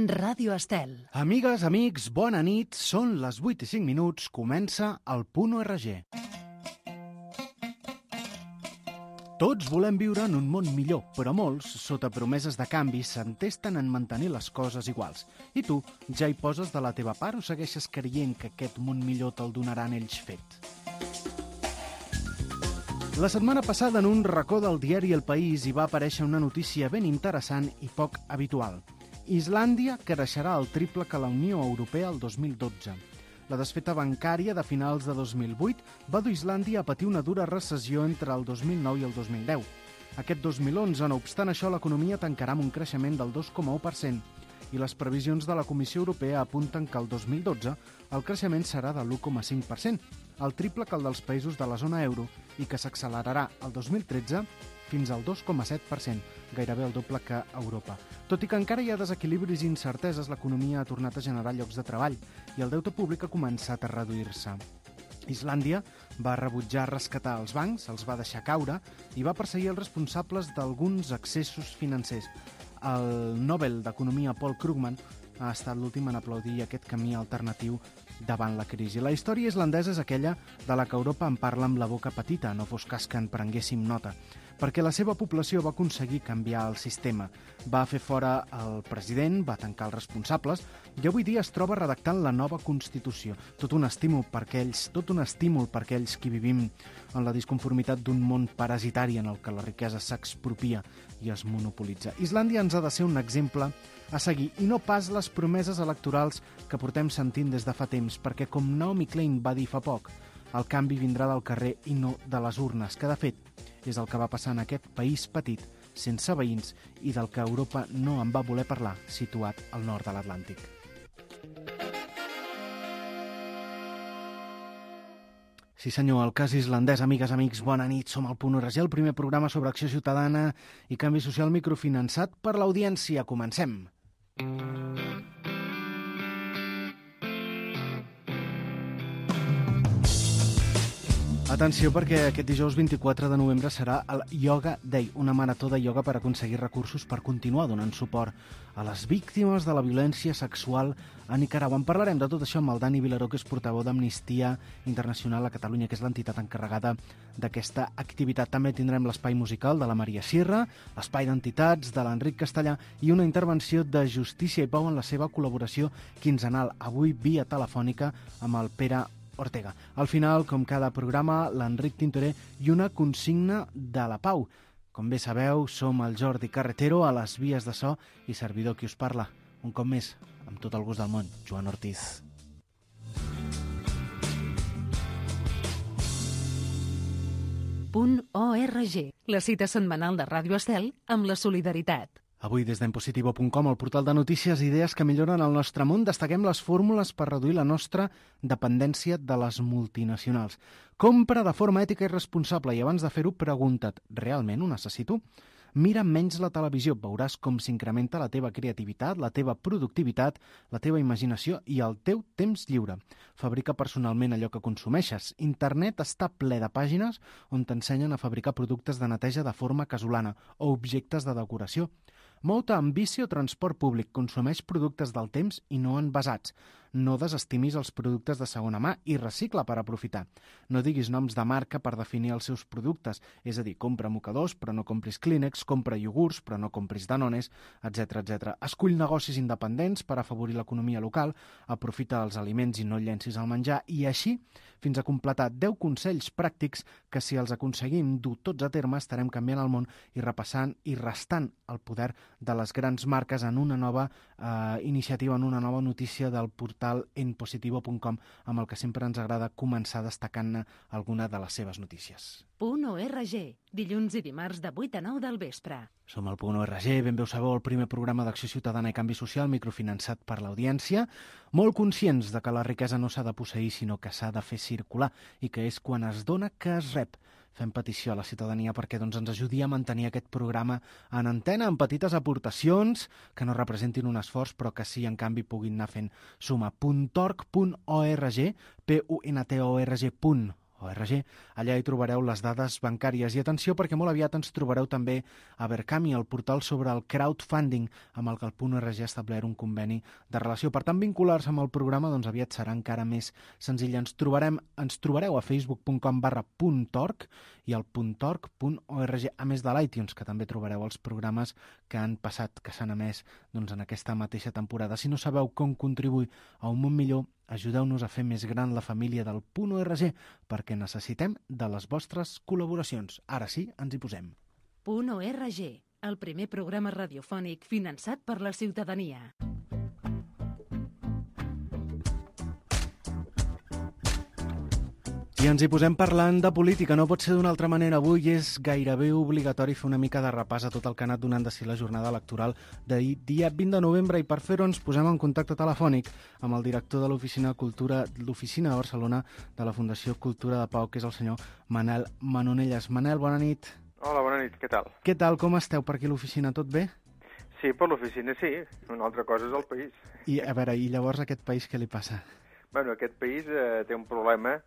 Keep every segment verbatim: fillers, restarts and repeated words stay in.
Ràdio Estel. Amigues, amics, bona nit. Són les vuit i cinc minuts. Comença el Punt O R G. Tots volem viure en un món millor, però molts, sota promeses de canvi, s'entesten en mantenir les coses iguals. I tu, ja hi poses de la teva part o segueixes creient que aquest món millor te'l donaran ells fet? La setmana passada, en un racó del diari El País, hi va aparèixer una notícia ben interessant i poc habitual. Islàndia creixerà el triple que la Unió Europea el dos mil dotze. La desfeta bancària de finals de dos mil vuit va dur Islàndia a patir una dura recessió entre el dos mil nou i el dos mil deu. Aquest dos mil onze, no obstant això, l'economia tancarà amb un creixement del dos coma u per cent i les previsions de la Comissió Europea apunten que el dos mil dotze el creixement serà de l'u coma cinc per cent, el triple que el dels països de la zona euro i que s'accelerarà el dos mil tretze fins al dos coma set per cent, gairebé el doble que a Europa. Tot i que encara hi ha desequilibris i incerteses, l'economia ha tornat a generar llocs de treball i el deute públic ha començat a reduir-se. Islàndia va rebutjar rescatar els bancs, els va deixar caure i va perseguir els responsables d'alguns excessos financers. El Nobel d'Economia Paul Krugman ha estat l'últim en aplaudir aquest camí alternatiu davant la crisi. La història islandesa és aquella de la que Europa en parla amb la boca petita, no fos cas que en prenguéssim nota, perquè la seva població va aconseguir canviar el sistema. Va fer fora el president, va tancar els responsables i avui dia es troba redactant la nova Constitució. Tot un estímul per aquells, tot un estímul per aquells qui vivim en la disconformitat d'un món parasitari en el que la riquesa s'expropia i es monopolitza. Islàndia ens ha de ser un exemple a seguir i no pas les promeses electorals que portem sentint des de fa temps, perquè com Naomi Klein va dir fa poc, el canvi vindrà del carrer i no de les urnes, que de fet és el que va passar en aquest país petit, sense veïns i del que Europa no en va voler parlar, situat al nord de l'Atlàntic. Sí senyor, el cas islandès, amigues, amics, bona nit, som al Punt O R G, el primer programa sobre acció ciutadana i canvi social microfinançat per l'audiència. Comencem! Atenció, perquè aquest dijous vint-i-quatre de novembre serà el Yoga Day, una marató de ioga per aconseguir recursos per continuar donant suport a les víctimes de la violència sexual a Nicaragua. En parlarem de tot això amb el Dani Vilaró, que és portaveu d'Amnistia Internacional a Catalunya, que és l'entitat encarregada d'aquesta activitat. També tindrem l'espai musical de la Maria Sierra, l'espai d'entitats de l'Enric Castellà i una intervenció de Justícia i Pau en la seva col·laboració quinzenal, avui via telefònica amb el Pere Ortega. Al final, com cada programa, l'Enric Tintoré i una consigna de la pau. Com bé sabeu, som el Jordi Carretero a les vies de so i servidor qui us parla. Un cop més, amb tot el gust del món, Joan Ortiz. Punt O R G, la cita setmanal de Ràdio Estel amb la solidaritat. Avui, des d'Enpositivo punt com, el portal de notícies i idees que milloren el nostre món, destaquem les fórmules per reduir la nostra dependència de les multinacionals. Compra de forma ètica i responsable i abans de fer-ho, pregunta't, realment ho necessito? Mira menys la televisió, veuràs com s'incrementa la teva creativitat, la teva productivitat, la teva imaginació i el teu temps lliure. Fabrica personalment allò que consumeixes. Internet està ple de pàgines on t'ensenyen a fabricar productes de neteja de forma casolana o objectes de decoració. Mou-te amb bici o transport públic, consumeix productes del temps i no envasats. No desestimis els productes de segona mà i recicla per aprofitar. No diguis noms de marca per definir els seus productes, és a dir, compra mocadors però no compris Kleenex, compra iogurts però no compris Danones, etcètera etcètera. Escull negocis independents per afavorir l'economia local, aprofita els aliments i no llencis el menjar i així fins a completar deu consells pràctics que si els aconseguim dur tots a terme estarem canviant el món i repassant i restant el poder de les grans marques en una nova eh, iniciativa, en una nova notícia del portal Enpositivo punt com, amb el que sempre ens agrada començar destacant alguna de les seves notícies. Punt O R G, dilluns i dimarts de vuit a nou del vespre. Som al Punt O R G, ben bé ho sabeu, el primer programa d'acció ciutadana i canvi social microfinançat per l'audiència, molt conscients de que la riquesa no s'ha de posseir, sinó que s'ha de fer circular i que és quan es dona que es rep. Fem petició a la ciutadania perquè doncs, ens ajudi a mantenir aquest programa en antena amb petites aportacions que no representin un esforç però que sí, en canvi, puguin anar fent suma. puntorg punt org, P U N T O R G punt org. Allà hi trobareu les dades bancàries. I atenció, perquè molt aviat ens trobareu també a Berkami, el portal sobre el crowdfunding, amb el que el .org ha establert un conveni de relació. Per tant, vincular-se amb el programa doncs, aviat serà encara més senzill. Ens trobarem, ens trobareu a facebook punt com barra .org i al .org punt org, a més de l'iTunes, que també trobareu els programes que han passat, que s'han emès doncs, en aquesta mateixa temporada. Si no sabeu com contribuir a un món millor, ajudeu-nos a fer més gran la família del .org, perquè necessitem de les vostres col·laboracions. Ara sí, ens hi posem. .org, el primer programa radiofònic finançat per la ciutadania. I ens hi posem parlant de política, no pot ser d'una altra manera. Avui és gairebé obligatori fer una mica de repàs a tot el que ha anat donant de si la jornada electoral d'ahir, dia vint de novembre, i per fer-ho ens posem en contacte telefònic amb el director de l'Oficina de Cultura, l'Oficina de Barcelona de la Fundació Cultura de Pau, que és el senyor Manel Manonelles. Manel, bona nit. Hola, bona nit, què tal? Què tal, com esteu per aquí a l'oficina, tot bé? Sí, per l'oficina sí, una altra cosa és el país. I a veure, i llavors aquest país què li passa? Bueno, aquest país eh, té un problema,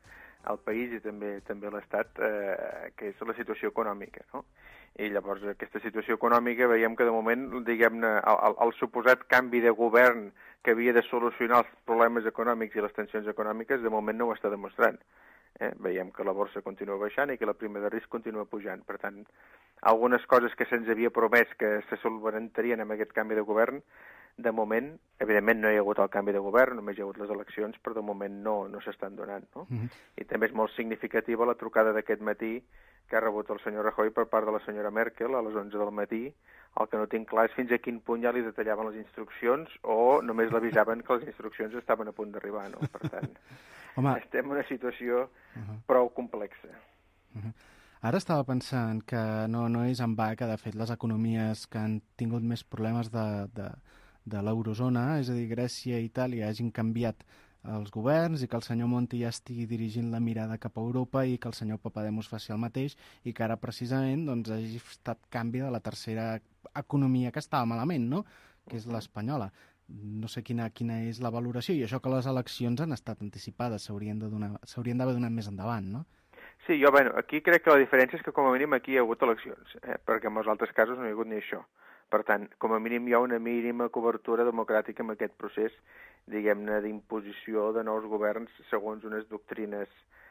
el país i també també l'Estat, eh, que és la situació econòmica, no? I llavors aquesta situació econòmica veiem que de moment, diguem-ne, el, el, el suposat canvi de govern que havia de solucionar els problemes econòmics i les tensions econòmiques, de moment no ho està demostrant. Eh? Veiem que la borsa continua baixant i que la prima de risc continua pujant. Per tant, algunes coses que se'ns havia promès que se solventarien amb aquest canvi de govern, de moment, evidentment no hi ha hagut el canvi de govern, només hi ha hagut les eleccions, però de moment no, no s'estan donant, no? Mm-hmm. I també és molt significativa la trucada d'aquest matí que ha rebut el senyor Rajoy per part de la senyora Merkel a les onze del matí. El que no tinc clar és fins a quin punt ja li detallaven les instruccions o només l'avisaven que les instruccions estaven a punt d'arribar, no? Per tant, Home. estem en una situació uh-huh. prou complexa. Uh-huh. Ara estava pensant que no, no és en va que, de fet, les economies que han tingut més problemes de, de, de l'eurozona, és a dir, Grècia i Itàlia, hagin canviat els governs i que el senyor Monti ja estigui dirigint la mirada cap a Europa i que el senyor Papademos faci el mateix i que ara, precisament, doncs, hagi estat canvi de la tercera economia que estava malament, no?, que és l'espanyola. No sé quina, quina és la valoració, i això que les eleccions han estat anticipades, s'haurien de donar, s'haurien d'haver donat més endavant, no? Sí, jo, bueno, aquí crec que la diferència és que com a mínim aquí hi ha hagut eleccions, eh? perquè en els altres casos no hi ha hagut ni això. Per tant, com a mínim hi ha una mínima cobertura democràtica en aquest procés, diguem-ne, d'imposició de nous governs segons unes doctrines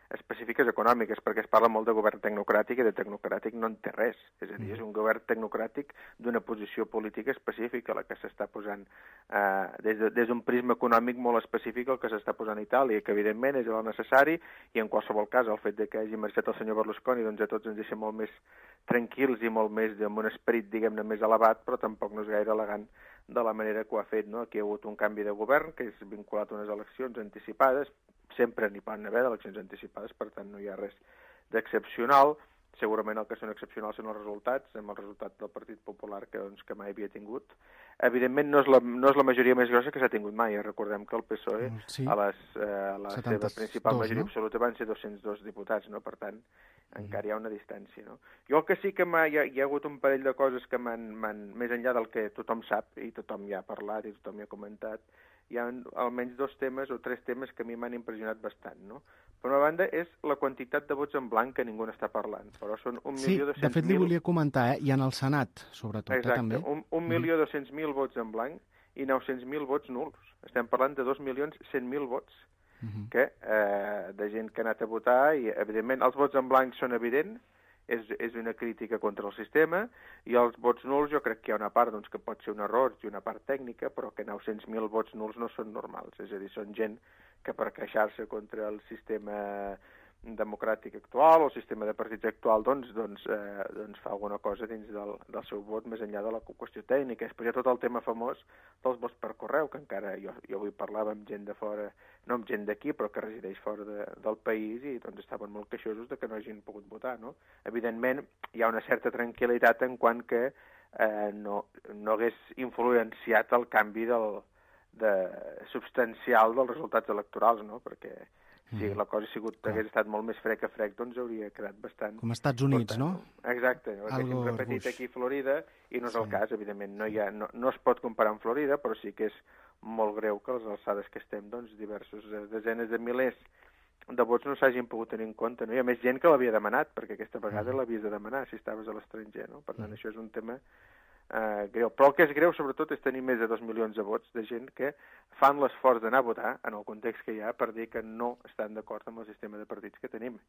específiques econòmiques, perquè es parla molt de govern tecnocràtic i de tecnocràtic no en té res. És a dir, és un govern tecnocràtic d'una posició política específica, la que s'està posant eh, des, de, des d'un prisma econòmic molt específic el que s'està posant a Itàlia, que evidentment és el necessari, i en qualsevol cas el fet de que hagi marxat el senyor Berlusconi doncs a tots ens deixa molt més tranquils i molt més amb un esperit, diguem-ne, més elevat, però tampoc no és gaire elegant de la manera que ho ha fet, no? Aquí hi ha hagut un canvi de govern que és vinculat a unes eleccions anticipades, sempre n'hi poden haver d'eleccions anticipades, per tant no hi ha res d'excepcional. Segurament el que són excepcionals són els resultats, amb el resultat del Partit Popular que, doncs, que mai havia tingut. Evidentment no és la, no és la majoria més grossa que s'ha tingut mai. Recordem que el P S O E sí. a, les, eh, a la seva principal majoria no? absoluta van ser dos-cents dos diputats, no? Per tant, mm. encara hi ha una distància. No? Jo el que sí que hi ha, hi ha hagut un parell de coses que m'han, més enllà del que tothom sap i tothom ja ha parlat i tothom ja ha comentat, hi ha almenys dos temes o tres temes que a mi m'han impressionat bastant, no? Per una banda, és la quantitat de vots en blanc que ningú n'està parlant, però són un milió dos-cents mil... Sí, de fet li volia comentar, eh? I en el Senat, sobretot, Exacte, eh, també. un, un milió dos-cents mil vots en blanc i nou-cents mil vots nuls. Estem parlant de dos milions cent mil vots, uh-huh. que, eh, de gent que ha anat a votar, i evidentment els vots en blanc són evidents, és, és una crítica contra el sistema, i els vots nuls jo crec que hi ha una part doncs, que pot ser un error i una part tècnica, però que nou-cents mil vots nuls no són normals, és a dir, són gent que per queixar-se contra el sistema democràtic actual o el sistema de partits actual doncs, doncs, eh, doncs fa alguna cosa dins del, del seu vot més enllà de la qüestió tècnica. Després hi ha tot el tema famós dels vots per correu, que encara jo, jo avui parlava amb gent de fora, no amb gent d'aquí, però que resideix fora de, del país, i doncs estaven molt queixosos de que no hagin pogut votar, no? Evidentment hi ha una certa tranquil·litat en quant que eh, no, no hagués influenciat el canvi del, de, substancial dels resultats electorals, no? Perquè si la cosa ha sigut, hagués estat molt més frec a frec, doncs hauria quedat bastant... Com als Estats Units, tant, no? Exacte, ho haguéssim repetit aquí a Florida, i no és sí. el cas, evidentment, no, hi ha, no, no es pot comparar amb Florida, però sí que és molt greu que a les alçades que estem, doncs, diversos, desenes de milers de vots no s'hagin pogut tenir en compte, no? Hi ha més gent que l'havia demanat, perquè aquesta vegada l'havies de demanar si estaves a l'estranger, no? Per tant, això és un tema eh, greu. Però el que és greu, sobretot, és tenir més de dos milions de vots de gent que fan l'esforç d'anar a votar, en el context que hi ha, per dir que no estan d'acord amb el sistema de partits que tenim.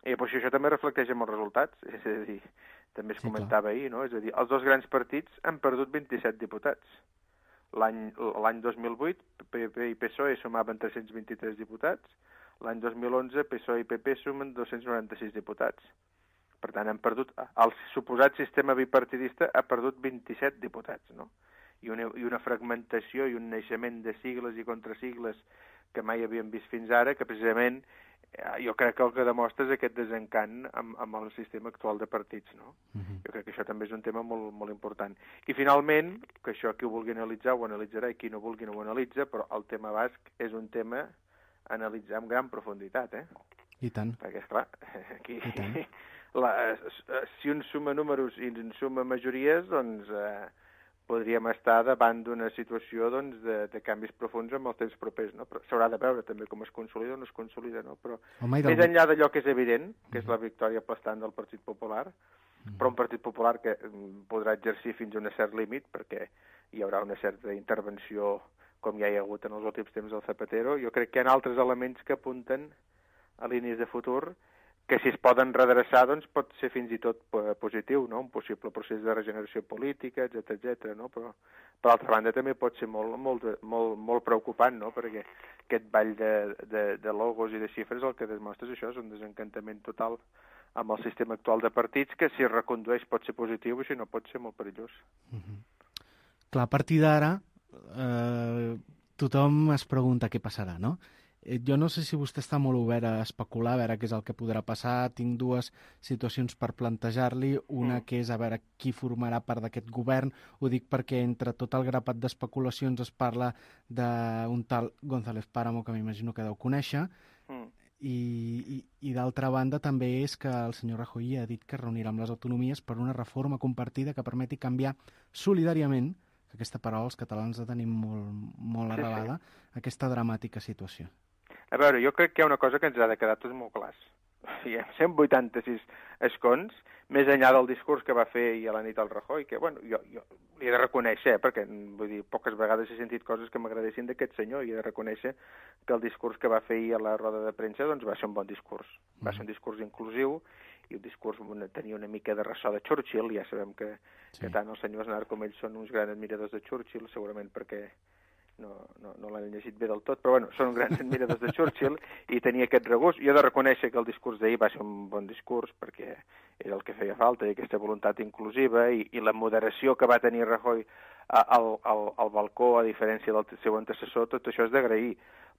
I pues, això també reflecteix en els resultats, és a dir, també es sí, comentava clar. ahir, no? És a dir, els dos grans partits han perdut vint-i-set diputats. L'any dos mil vuit, P P i P S O E sumaven tres-cents vint-i-tres diputats, l'any dos mil onze, P S O E i P P sumen dos-cents noranta-sis diputats. Per tant, han perdut... El suposat sistema bipartidista ha perdut vint-i-set diputats, no? I una, i una fragmentació i un naixement de sigles i contrasigles que mai havíem vist fins ara, que precisament jo crec que el que demostra és aquest desencant amb, amb el sistema actual de partits, no? Uh-huh. Jo crec que això també és un tema molt, molt important. I finalment, que això qui ho vulgui analitzar ho analitzarà i qui no vulgui no ho analitza, però el tema basc és un tema a analitzar amb gran profunditat, eh? I tant. Perquè, esclar, aquí... La, si un suma números i un suma majories, doncs eh, podríem estar davant d'una situació doncs, de, de canvis profuns en els temps propers, no? Però s'haurà de veure també com es consolida o no es consolida, no? Però Home, més enllà d'allò que és evident, que és la victòria aplastant del Partit Popular, mm. però un Partit Popular que podrà exercir fins a un cert límit, perquè hi haurà una certa intervenció, com ja hi ha hagut en els últims temps del Zapatero, jo crec que hi ha altres elements que apunten a línies de futur que si es poden redreçar, doncs pot ser fins i tot positiu, no? Un possible procés de regeneració política, etcètera, etcètera, no? Però, per altra banda, també pot ser molt, molt, molt, molt preocupant, no? Perquè aquest ball de, de, de logos i de xifres el que demostra és això, és un desencantament total amb el sistema actual de partits, que si es recondueix pot ser positiu i si no pot ser molt perillós. Mm-hmm. Clar, a partir d'ara, eh, tothom es pregunta què passarà, no? Jo no sé si vostè està molt obert a especular, a veure què és el que podrà passar. Tinc dues situacions per plantejar-li. Una que és a veure qui formarà part d'aquest govern. Ho dic perquè entre tot el grapat d'especulacions es parla d'un tal González Páramo, que m'imagino que deu conèixer, mm. i, i, i d'altra banda també és que el senyor Rajoy ha dit que es reunirà amb les autonomies per una reforma compartida que permeti canviar solidàriament, que aquesta paraula els catalans la tenim molt, molt arrelada, sí, sí. aquesta dramàtica situació. A veure, jo crec que hi ha una cosa que ens ha de quedar tots molt clars. Hi ha cent vuitanta-sis escons, més enllà del discurs que va fer ahir a la nit el Rajoy, que, bueno, jo, jo li he de reconèixer, eh, perquè, vull dir, poques vegades he sentit coses que m'agradessin d'aquest senyor, i he de reconèixer que el discurs que va fer ahir a la roda de premsa, doncs va ser un bon discurs. Va ser un discurs inclusiu, i un discurs una, tenia una mica de ressò de Churchill, ja sabem que, sí. que tant el senyor Aznar com ells són uns grans admiradors de Churchill, segurament perquè no, no, no l'han llegit bé del tot, però bueno, són grans admiradors de Churchill i tenia aquest regust. Jo he de reconèixer que el discurs d'ahir va ser un bon discurs perquè era el que feia falta, i aquesta voluntat inclusiva i, i la moderació que va tenir Rajoy al, al, al balcó, a diferència del seu antecessor, tot això és d'agrair,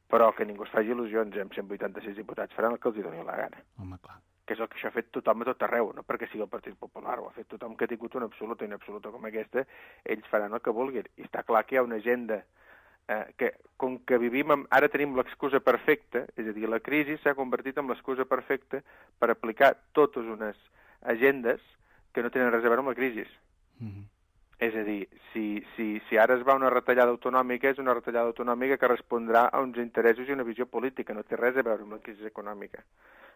però que ningú es faci il·lusions, amb cent vuitanta-sis diputats faran el que els hi doni la gana. Home, clar. Que és el que això ha fet tothom a tot arreu, no perquè sigui el Partit Popular, ho ha fet tothom que ha tingut una absoluta i una absoluta com aquesta, ells faran el que vulguin. I està clar que hi ha una agenda eh, que, com que vivim, amb, ara tenim l'excusa perfecta, és a dir, la crisi s'ha convertit en l'excusa perfecta per aplicar totes unes agendes que no tenen res a veure amb la crisi. Mm-hmm. És a dir, si, si, si ara es va una retallada autonòmica, és una retallada autonòmica que respondrà a uns interessos i una visió política, no té res a veure amb la crisi econòmica.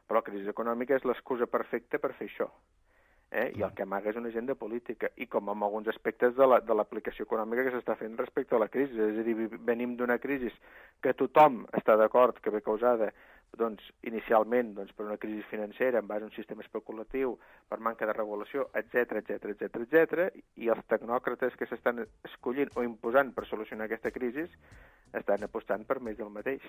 Però la crisi econòmica és l'excusa perfecta per fer això. Eh? I el que amaga és una agenda política, i com en alguns aspectes de l'aplicació la, econòmica que s'està fent respecte a la crisi. És a dir, venim d'una crisi que tothom està d'acord que ve causada doncs, inicialment doncs, per una crisi financera en base a un sistema especulatiu, per manca de regulació, etcètera, etcètera, etcètera, etcètera, i els tecnòcrates que s'estan escollint o imposant per solucionar aquesta crisi estan apostant per més del mateix.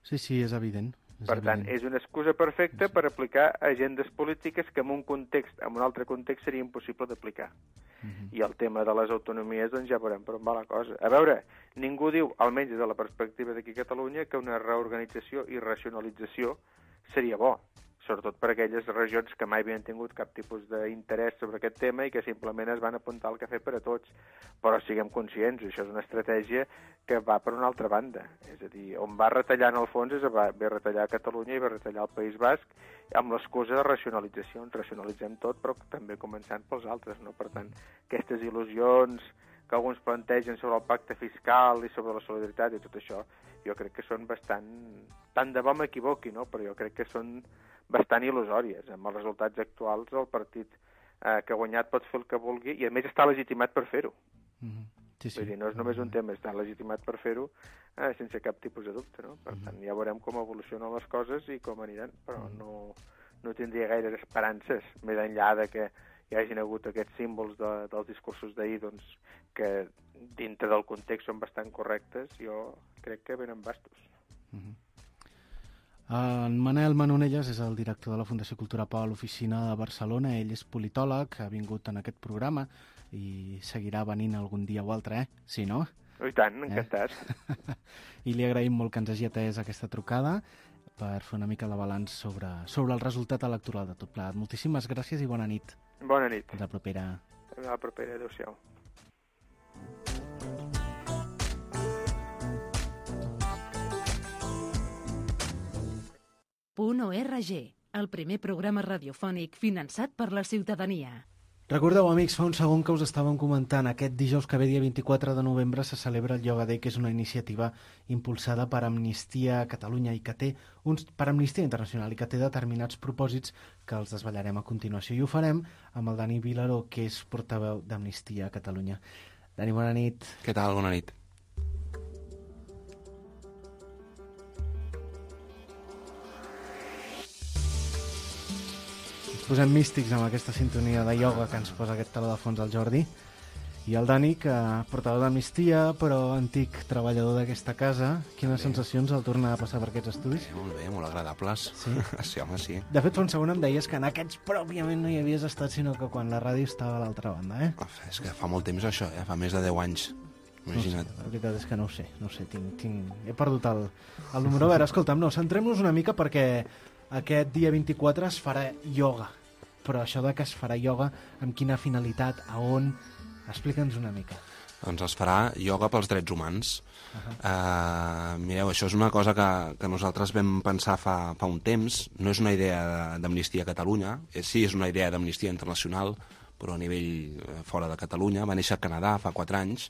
Sí, sí, és evident. És per tant, evident. és una excusa perfecta per aplicar agendes polítiques que en un context, en un altre context seria impossible d'aplicar. Uh-huh. I el tema de les autonomies, doncs ja veurem per on va la cosa. A veure, ningú diu, almenys des de la perspectiva d'aquí a Catalunya, que una reorganització i racionalització seria bo, sobretot per aquelles regions que mai havien tingut cap tipus d'interès sobre aquest tema i que simplement es van apuntar al cafè per a tots. Però siguem conscients, això és una estratègia que va per una altra banda. És a dir, on va retallar en el fons és va, va retallar a Catalunya i va retallar al País Basc amb l'excusa de racionalització. Ens racionalitzem tot, però també començant pels altres, no? Per tant, aquestes il·lusions que alguns plantegen sobre el pacte fiscal i sobre la solidaritat i tot això, jo crec que són bastant... Tant de bo m'equivoqui, no? Però jo crec que són bastant il·lusòries. Amb els resultats actuals, el partit eh, que ha guanyat pot fer el que vulgui i, a més, està legitimat per fer-ho. Mm-hmm. Sí, sí. Vull dir, no és només un tema, està legitimat per fer-ho eh, sense cap tipus de dubte, no? Per mm-hmm. tant, ja veurem com evolucionen les coses i com aniran, però mm-hmm. no, no tindria gaires esperances, més enllà de que hi hagin hagut aquests símbols de, dels discursos d'ahir, doncs, que dintre del context són bastant correctes, jo crec que venen bastos. Mm-hmm. En Manel Manonelles és el director de la Fundació Cultura Pau a l'oficina de Barcelona. Ell és politòleg, ha vingut en aquest programa i seguirà venint algun dia o altre, eh? Sí, no? Oh, i tant, encantat. Eh? I li agraïm molt que ens hagi atès aquesta trucada per fer una mica de balanç sobre, sobre el resultat electoral de tot plegat. Moltíssimes gràcies i bona nit. Bona nit. Fins la propera. Fins la propera, adéu-siau. .org, el primer programa radiofònic finançat per la ciutadania. Recordeu, amics, fa un segon que us estàvem comentant, aquest dijous que ve, dia vint-i-quatre de novembre, se celebra el Yoga Day, que és una iniciativa impulsada per Amnistia Catalunya i que té uns, per Amnistia Internacional i que té determinats propòsits que els desvetllarem a continuació. I ho farem amb el Dani Vilaró, que és portaveu d'Amnistia Catalunya. Dani, bona nit. Què tal? Bona nit. Posem místics amb aquesta sintonia de ioga que ens posa aquest taló de fons al Jordi. I el Dani, que portador d'Amnistia, però antic treballador d'aquesta casa. Quines bé. sensacions al tornar a passar per aquests estudis? Bé, molt bé, molt agradables. Sí? Sí, home, sí. De fet, fa un segon em deies que en aquests pròpiament no hi havies estat, sinó que quan la ràdio estava a l'altra banda, eh? Uf, és que fa molt temps això, eh? Fa més de deu anys. Imagina't. No sé, la veritat és que no ho sé, no ho sé, tinc, tinc... he perdut el, el número. A veure, escolta'm, no, centrem-nos una mica perquè aquest dia vint-i-quatre es farà ioga. Però això de que es farà ioga, amb quina finalitat, a on... Explica'ns una mica. Doncs es farà ioga pels drets humans. Uh-huh. uh, mireu, això és una cosa que, que nosaltres vam pensar fa, fa un temps. No és una idea d'Amnistia Catalunya, sí, és una idea d'Amnistia Internacional, però a nivell fora de Catalunya. Va néixer a Canadà fa quatre anys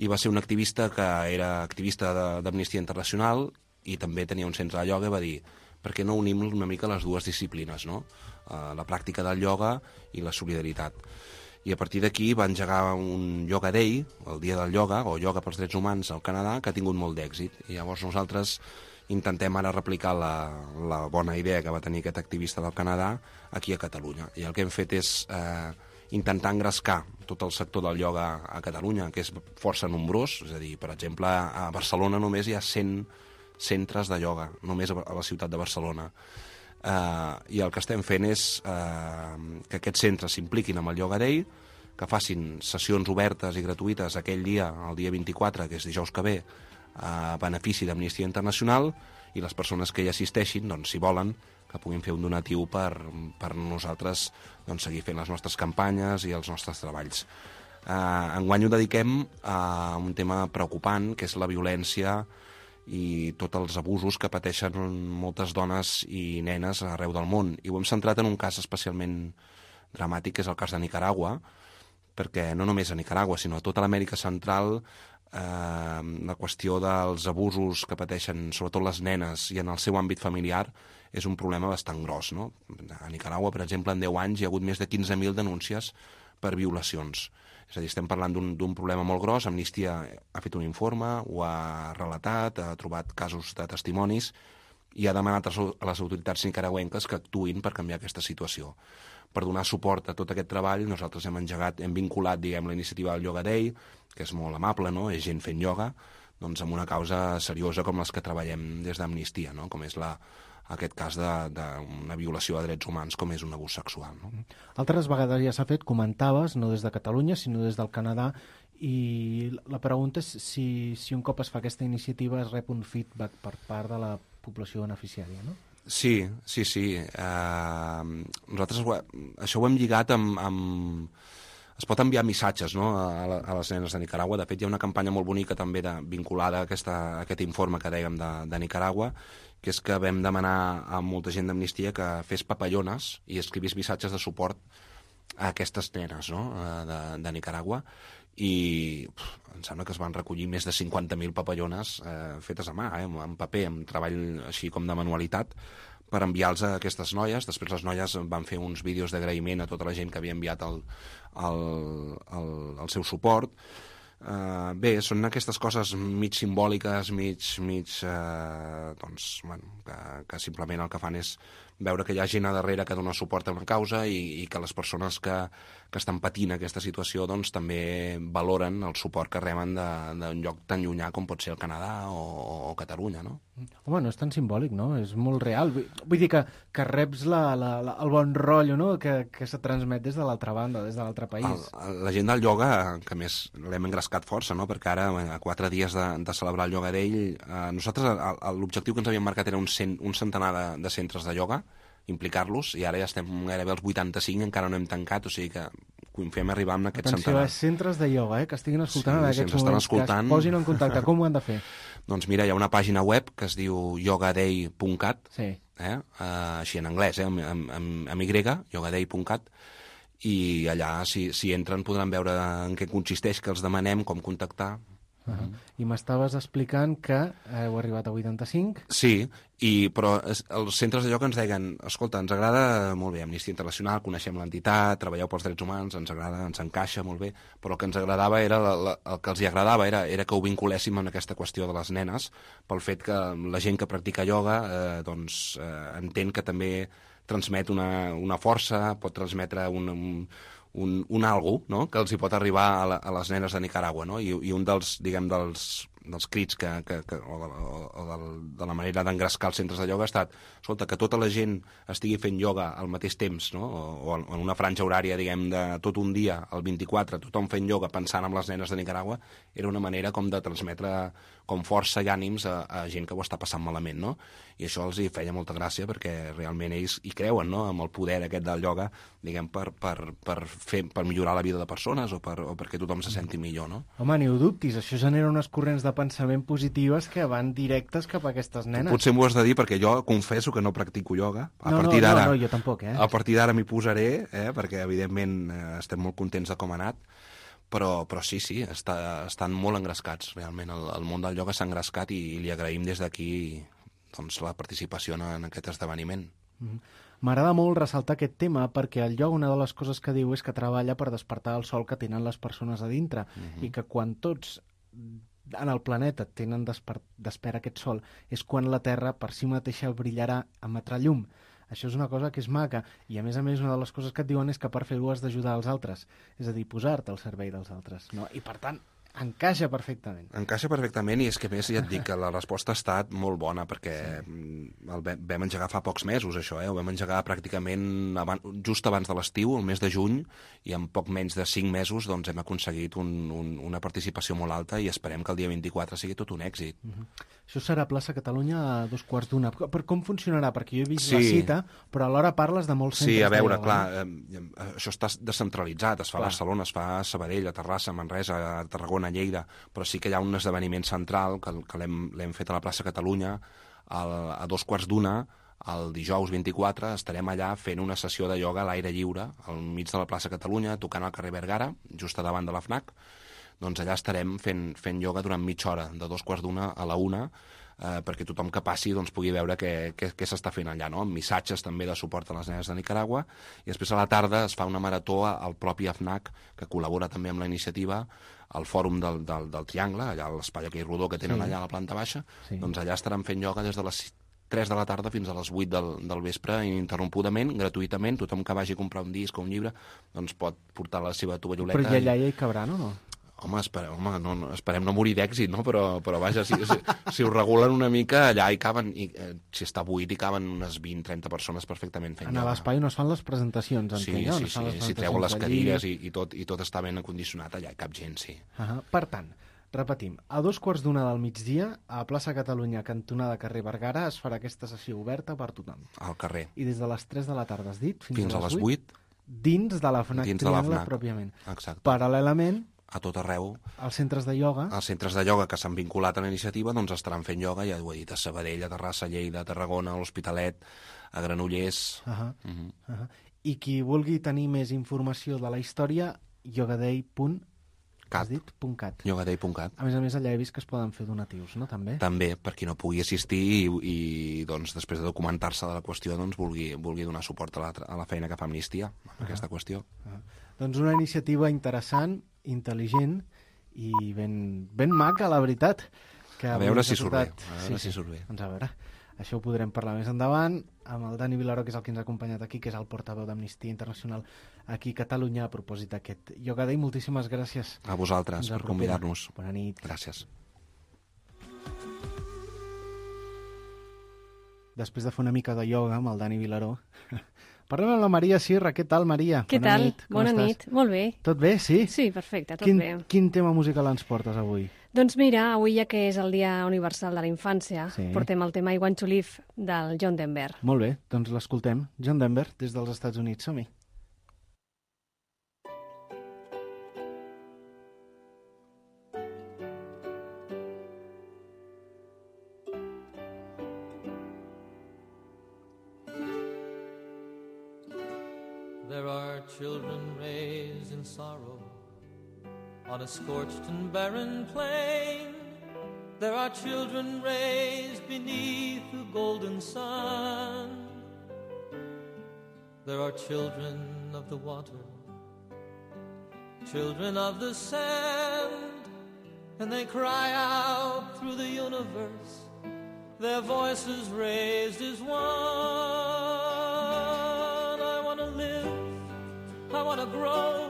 i va ser un activista que era activista d'Amnistia Internacional i també tenia un centre de ioga i va dir per què no unim una mica les dues disciplines, no? Uh, la pràctica del ioga i la solidaritat. I a partir d'aquí va engegar un Yoga Day, el dia del ioga, o ioga pels drets humans al Canadà, que ha tingut molt d'èxit. I llavors nosaltres intentem ara replicar la, la bona idea que va tenir aquest activista del Canadà aquí a Catalunya. I el que hem fet és eh, intentar engrescar tot el sector del ioga a Catalunya, que és força nombrós. És a dir, per exemple, a Barcelona només hi ha cent centres de ioga, només a la ciutat de Barcelona. Uh, i el que estem fent és uh, que aquests centres s'impliquin amb el Yoga Day, que facin sessions obertes i gratuïtes aquell dia, el dia vint-i-quatre, que és dijous que ve, a benefici d'Amnistia Internacional, i les persones que hi assisteixin, doncs, si volen, que puguin fer un donatiu per, per nosaltres doncs, seguir fent les nostres campanyes i els nostres treballs. Uh, enguany ho dediquem a un tema preocupant, que és la violència i tots els abusos que pateixen moltes dones i nenes arreu del món. I ho hem centrat en un cas especialment dramàtic, que és el cas de Nicaragua, perquè no només a Nicaragua, sinó a tota l'Amèrica Central, eh, la qüestió dels abusos que pateixen sobretot les nenes i en el seu àmbit familiar és un problema bastant gros, no? A Nicaragua, per exemple, en deu anys hi ha hagut més de quinze mil denúncies per violacions. És a dir, estem parlant d'un problema molt gros. Amnistia ha fet un informe, ho ha relatat, ha trobat casos de testimonis i ha demanat a les autoritats nicaragüenques que actuïn per canviar aquesta situació. Per donar suport a tot aquest treball, nosaltres hem engegat, hem vinculat, diguem, la iniciativa del Yoga Day, que és molt amable, no? És gent fent ioga, doncs amb una causa seriosa com les que treballem des d'Amnistia, no? Com és la, aquest cas d'una violació de drets humans com és un abús sexual. No? Altres vegades ja s'ha fet, comentaves, no des de Catalunya, sinó des del Canadà, i la pregunta és si, si un cop es fa aquesta iniciativa es rep un feedback per part de la població beneficiària, no? Sí, sí, sí. Uh, nosaltres això ho hem lligat amb... amb... Es pot enviar missatges, no, a, a les nenes de Nicaragua. De fet, hi ha una campanya molt bonica també de, vinculada a, aquesta, a aquest informe que dèiem de, de Nicaragua, que és que vam demanar a molta gent d'Amnistia que fes papallones i escrivís missatges de suport a aquestes nenes, no?, de, de Nicaragua. i pf, em sembla que es van recollir més de cinquanta mil papallones eh, fetes a mà, eh, en paper, amb treball així com de manualitat, per enviar-los a aquestes noies. Després les noies van fer uns vídeos d'agraïment a tota la gent que havia enviat el, el, el, el seu suport. Uh, bé, són aquestes coses mig simbòliques, mig, mig uh, doncs, bueno, que, que simplement el que fan és veure que hi ha gent a darrere que dona suport a una causa i, i que les persones que, que estan patint aquesta situació doncs, també valoren el suport que reben d'un lloc tan llunyà com pot ser el Canadà o, o Catalunya, no? Home, no és tan simbòlic, no? És molt real. Vull dir que, que reps la, la, la, el bon rotllo, no?, que, que se transmet des de l'altra banda, des de l'altre país. El, la gent del ioga, que més l'hem engrescat força, no?, perquè ara, a quatre dies de, de celebrar el Yoga Day, eh, nosaltres l'objectiu que ens havíem marcat era un, cent, un centenar de, de centres de ioga, implicar-los, i ara ja estem gairebé als vuitanta-cinc, encara no hem tancat, o sigui que confiem arribar amb aquest Atenció, centenar. Atenció, centres de ioga, eh, que estiguin escoltant Sí, en si aquests ens estan moments, escoltant... que es posin en contacte. Com ho han de fer? Doncs mira, hi ha una pàgina web que es diu yogaday punt cat, Sí. eh? Uh, així en anglès, eh? amb, amb, amb, amb Y, yogaday punt cat, i allà, si, si entren, podran veure en què consisteix, que els demanem, com contactar. Uh -huh. I m'estaves explicant que heu arribat a vuitanta-cinc. Sí, i, però es, els centres de ioga ens deien, escolta, ens agrada molt bé Amnistia Internacional, coneixem l'entitat, treballeu pels drets humans, ens agrada, ens encaixa molt bé, però el que ens agradava era, la, la, el que els hi agradava era, era que ho vinculéssim amb aquesta qüestió de les nenes, pel fet que la gent que practica ioga eh, doncs, eh, entén que també transmet una, una força, pot transmetre un, un un, un algo, no?, que els hi pot arribar a, la, a les nenes de Nicaragua, no? I, i un dels, diguem, dels, dels crits que, que, que, o, o, o de, de la manera d'engrescar els centres de ioga ha estat, escolta, que tota la gent estigui fent ioga al mateix temps, no?, o, o en una franja horària, diguem, de tot un dia, el vint-i-quatre, tothom fent ioga pensant en les nenes de Nicaragua, era una manera com de transmetre com força i ànims a, a gent que ho està passant malament, no? I això els hi feia molta gràcia perquè realment ells hi creuen, no?, amb el poder aquest del ioga, diguem, per, per, per, fer, per millorar la vida de persones o, per, o perquè tothom se senti millor, no? Home, ni ho dubtis, això genera unes corrents de pensament positives que van directes cap a aquestes nenes. Potser m'ho has de dir perquè jo confesso que no practico ioga. A no, partir no, d'ara, no, no, jo tampoc, eh? A partir d'ara m'hi posaré, eh, perquè evidentment eh, estem molt contents de com ha anat, però, però sí, sí, està, estan molt engrescats, realment. El, el món del ioga s'ha engrescat i, i li agraïm des d'aquí doncs, la participació en, en aquest esdeveniment. Mm-hmm. M'agrada molt ressaltar aquest tema perquè el ioga, una de les coses que diu és que treballa per despertar el sol que tenen les persones a dintre, mm-hmm. i que quan tots en el planeta tenen d'espera aquest sol és quan la Terra per si mateixa brillarà, emetrà llum. Això és una cosa que és maca, i a més a més una de les coses que et diuen és que per fer-ho has d'ajudar els altres, és a dir, posar-te al servei dels altres, no? I per tant, encaixa perfectament. Encaixa perfectament, i és que més ja et dic que la resposta ha estat molt bona, perquè sí. el vam engegar fa pocs mesos, això, eh? Ho vam engegar pràcticament abans, just abans de l'estiu, el mes de juny, i en poc menys de cinc mesos doncs, hem aconseguit un, un, una participació molt alta i esperem que el dia vint-i-quatre sigui tot un èxit. Uh-huh. Això serà a Plaça Catalunya a dos quarts d'una. Per com funcionarà? Perquè jo he vist sí. la cita, però alhora parles de molts centres. Sí, a veure, de clar, eh, això està descentralitzat, es fa clar. a Barcelona, es fa a Sabadell, a Terrassa, a Manresa, a Tarragona, a Lleida, però sí que hi ha un esdeveniment central que, que l'hem fet a la plaça Catalunya al, a dos quarts d'una, el dijous vint-i-quatre, estarem allà fent una sessió de ioga a l'aire lliure, al mig de la plaça Catalunya, tocant al carrer Vergara, just a davant de la FNAC. Doncs allà estarem fent, fent ioga durant mitja hora, de dos quarts d'una a la una, eh, perquè tothom que passi doncs, pugui veure què, què, què s'està fent allà, no? Amb missatges també de suport a les nenes de Nicaragua, i després a la tarda es fa una marató al propi FNAC, que col·labora també amb la iniciativa, al fòrum del, del, del Triangle, allà a l'espai aquell rodó que tenen sí. allà a la planta baixa, sí. doncs allà estaran fent ioga des de les tres de la tarda fins a les vuit del, del vespre, ininterrompudament, gratuïtament. Tothom que vagi a comprar un disc o un llibre doncs pot portar la seva tovalloleta. Però allà hi cabran o no? Home, espere, home no, no, esperem no morir d'èxit, no? Però, però vaja, si, si, si ho regulen una mica, allà hi caben, i, eh, si està buit, hi caben unes vint trenta persones perfectament fent ioga. En l'espai on es fan les presentacions, sí, entenc, sí, sí, sí, si treuen les cadires i, i, tot, i tot està ben acondicionat, allà hi cap gent, sí. Uh -huh. Per tant, repetim, a dos quarts d'una del migdia, a Plaça Catalunya, cantonada carrer Vergara, es farà aquesta sessió oberta per tothom. Al carrer. I des de les tres de la tarda, has dit? Fins, fins a les vuit? Dins de la FNAC dins Triangle, de la FNAC, pròpiament. Exacte. Paral·lelament, a tot arreu. Els centres de ioga. Els centres de ioga que s'han vinculat a la iniciativa doncs estaran fent ioga, ja ho he dit, a Sabadell, a Terrassa, a Lleida, a Tarragona, a l'Hospitalet, a Granollers... Uh -huh. Uh -huh. Uh -huh. I qui vulgui tenir més informació de la història, yogaday punt Has dit? .cat. Llogader punt cat. A més a més, allà he vist que es poden fer donatius, no? També? També, per qui no pugui assistir i, i doncs, després de documentar-se de la qüestió, doncs, vulgui, vulgui donar suport a la, a la feina que fa Amnistia, en ah. aquesta qüestió. Ah. Doncs una iniciativa interessant, intel·ligent i ben, ben maca, la veritat. Que a veure si surt bé. A veure sí, si surt bé. Doncs a veure, això ho podrem parlar més endavant amb el Dani Vilaró, que és el que ens ha acompanyat aquí, que és el portaveu d'Amnistia Internacional aquí a Catalunya, a propòsit d'aquest Yoga Day. Moltíssimes gràcies. A vosaltres per convidar-nos. Bona nit. Gràcies. Després de fer una mica de ioga amb el Dani Vilaró, parlem amb la Maria Sierra. Què tal, Maria? Què Bona tal? Nit. Com Bona estàs? nit. Molt bé. Tot bé, sí? Sí, perfecte, tot quin, bé. Quin tema musical ens portes avui? Doncs mira, avui ja que és el Dia Universal de la Infància, Sí. portem el tema I Want to Live del John Denver. Molt bé, doncs l'escoltem. John Denver, des dels Estats Units. Som-hi. There are children raised in sorrow on a scorched and barren plain. There are children raised beneath the golden sun. There are children of the water, children of the sand, and they cry out through the universe, their voices raised as one. I want to live, I want to grow,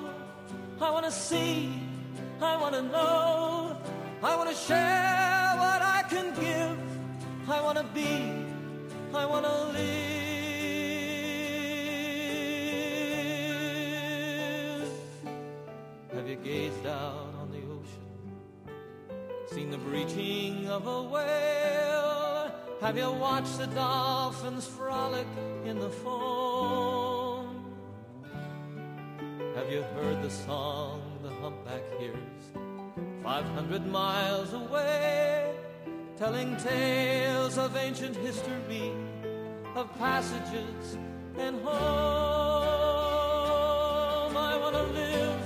I want to see, I want to know, I want to share what I can give, I want to be, I want to live. Have you gazed out on the ocean, seen the breaching of a whale? Have you watched the dolphins frolic in the foam? Have you heard the song the humpback hears five hundred miles away, telling tales of ancient history, of passages and home? I want to live,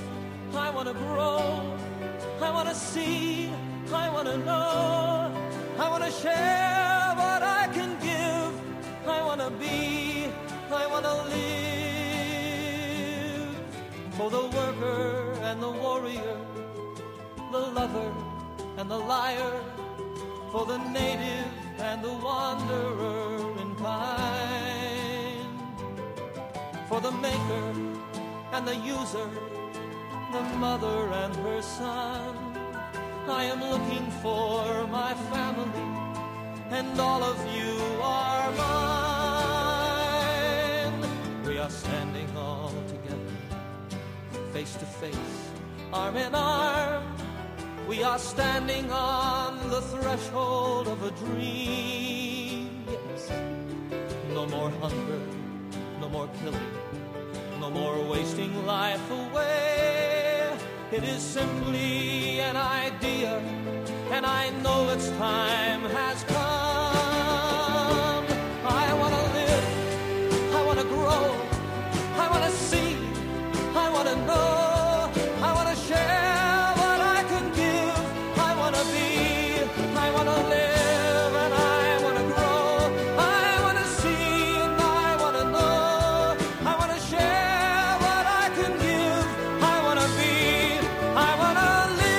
I want to grow, I want to see, I want to know, I want to share what I can give, I want to be, I want to live. For the worker and the warrior, the lover and the liar, for the native and the wanderer in kind, for the maker and the user, the mother and her son. I am looking for my family, and all of you are mine. We are standing all together, face to face, arm in arm. We are standing on the threshold of a dream. Yes, no more hunger, no more killing, no more wasting life away. It is simply an idea, and I know its time has come. I want to live, I want to grow, I want to see, I want to know, I want to share what I can give, I want to be, I want to live, and I want to grow, I want to see, and I want to know, I want to share what I can give, I want to be, I want to live.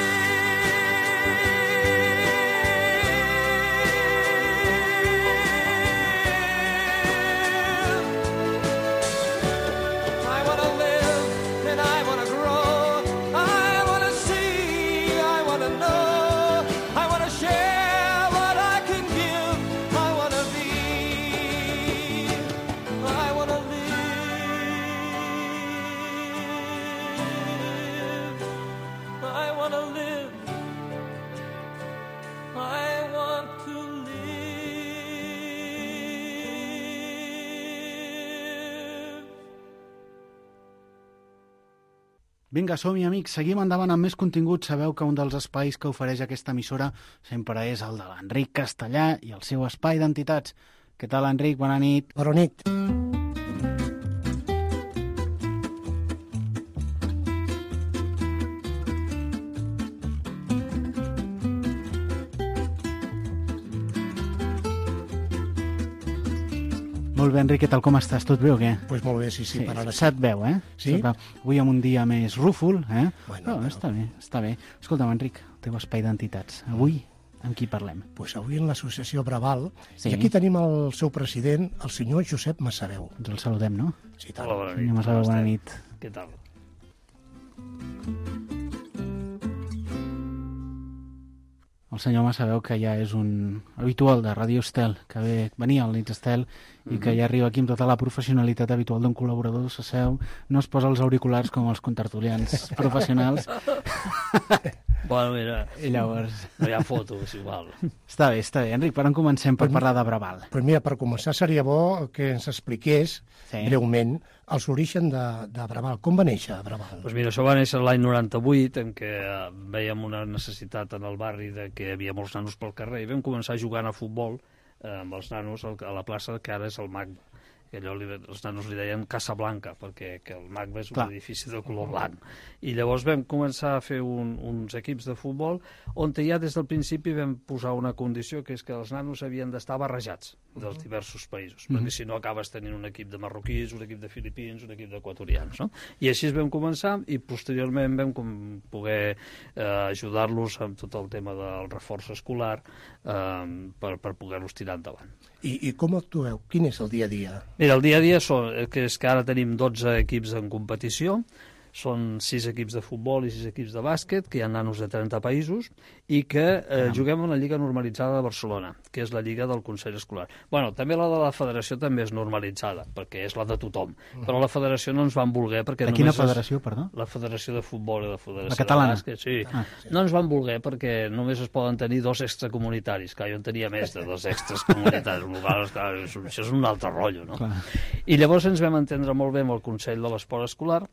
I want to live, and I want to grow, I want to see, I want to know, I want to share what I can give, I want to be, I want to live, I want to live, I want to live. Vinga, som-hi, amics. Seguim endavant amb més contingut. Sabeu que un dels espais que ofereix aquesta emissora sempre és el de l'Enric Castellà i el seu espai d'entitats. Què tal, Enric? Bona nit. Bona nit. Molt bé, Enric, què tal, com estàs? Tot bé o què? Doncs pues molt bé, sí, sí, sí per ara sí. Se't veu, eh? Sí? Se't veu. Avui amb un dia més rúfol, eh? Bueno, Però bueno. està bé, està bé. Escolta'm, Enric, el teu espai d'entitats. Avui, amb qui parlem? Doncs pues avui en l'associació Braval, Sí. i aquí tenim el seu president, el senyor Josep Massaveu. Ens el saludem, no? Sí, tant. Hola, bona nit. Senyor Massaveu, Com bona estem? nit. Què tal? El senyor Massaveu, que ja és un habitual de Ràdio Estel, que ve, venia al Nits Estel i que ja arriba aquí amb tota la professionalitat habitual d'un col·laborador, s'asseu, no es posa els auriculars com els contertulians professionals. Bueno, mira, I llavors... no hi ha fotos, igual. Està bé, està bé. Enric, per on comencem per parlar de Braval? Pues mira, per començar seria bo que ens expliqués Sí. breument els orígens de, de Braval. Com va néixer Braval? Doncs mira, això va néixer l'any noranta-vuit, en què eh, veiem una necessitat en el barri de que hi havia molts nanos pel carrer i vam començar jugant a futbol eh, amb els nanos al- a la plaça que ara és el Magba. Que allò li, els nanos li deien Casa Blanca, perquè que el Magba és un Clar. edifici de color blanc. I llavors vam començar a fer un, uns equips de futbol on ja des del principi vam posar una condició, que és que els nanos havien d'estar barrejats dels diversos països, perquè si no acabes tenint un equip de marroquins, un equip de filipins, un equip d'equatorians, no? I així vam començar i posteriorment vam com poder eh, ajudar-los amb tot el tema del reforç escolar eh, per, per poder-los tirar endavant. I, I com actueu? Quin és el dia a dia? Mira, el dia a dia són, que és que ara tenim dotze equips en competició, són sis equips de futbol i sis equips de bàsquet, que hi ha nanos de trenta països, i que eh, juguem a la Lliga Normalitzada de Barcelona, que és la Lliga del Consell Escolar. Bueno, també la de la Federació també és normalitzada, perquè és la de tothom, però la Federació no ens van voler perquè De quina només... federació, perdó? És la Federació de Futbol i la Federació La catalana? de Bàsquet, sí. Ah, No ens van voler perquè només es poden tenir dos extracomunitaris, que jo en tenia més de dos extracomunitaris, clar, clar, això és un altre rotllo, no? Clar. I llavors ens vam entendre molt bé amb el Consell de l'Esport Escolar.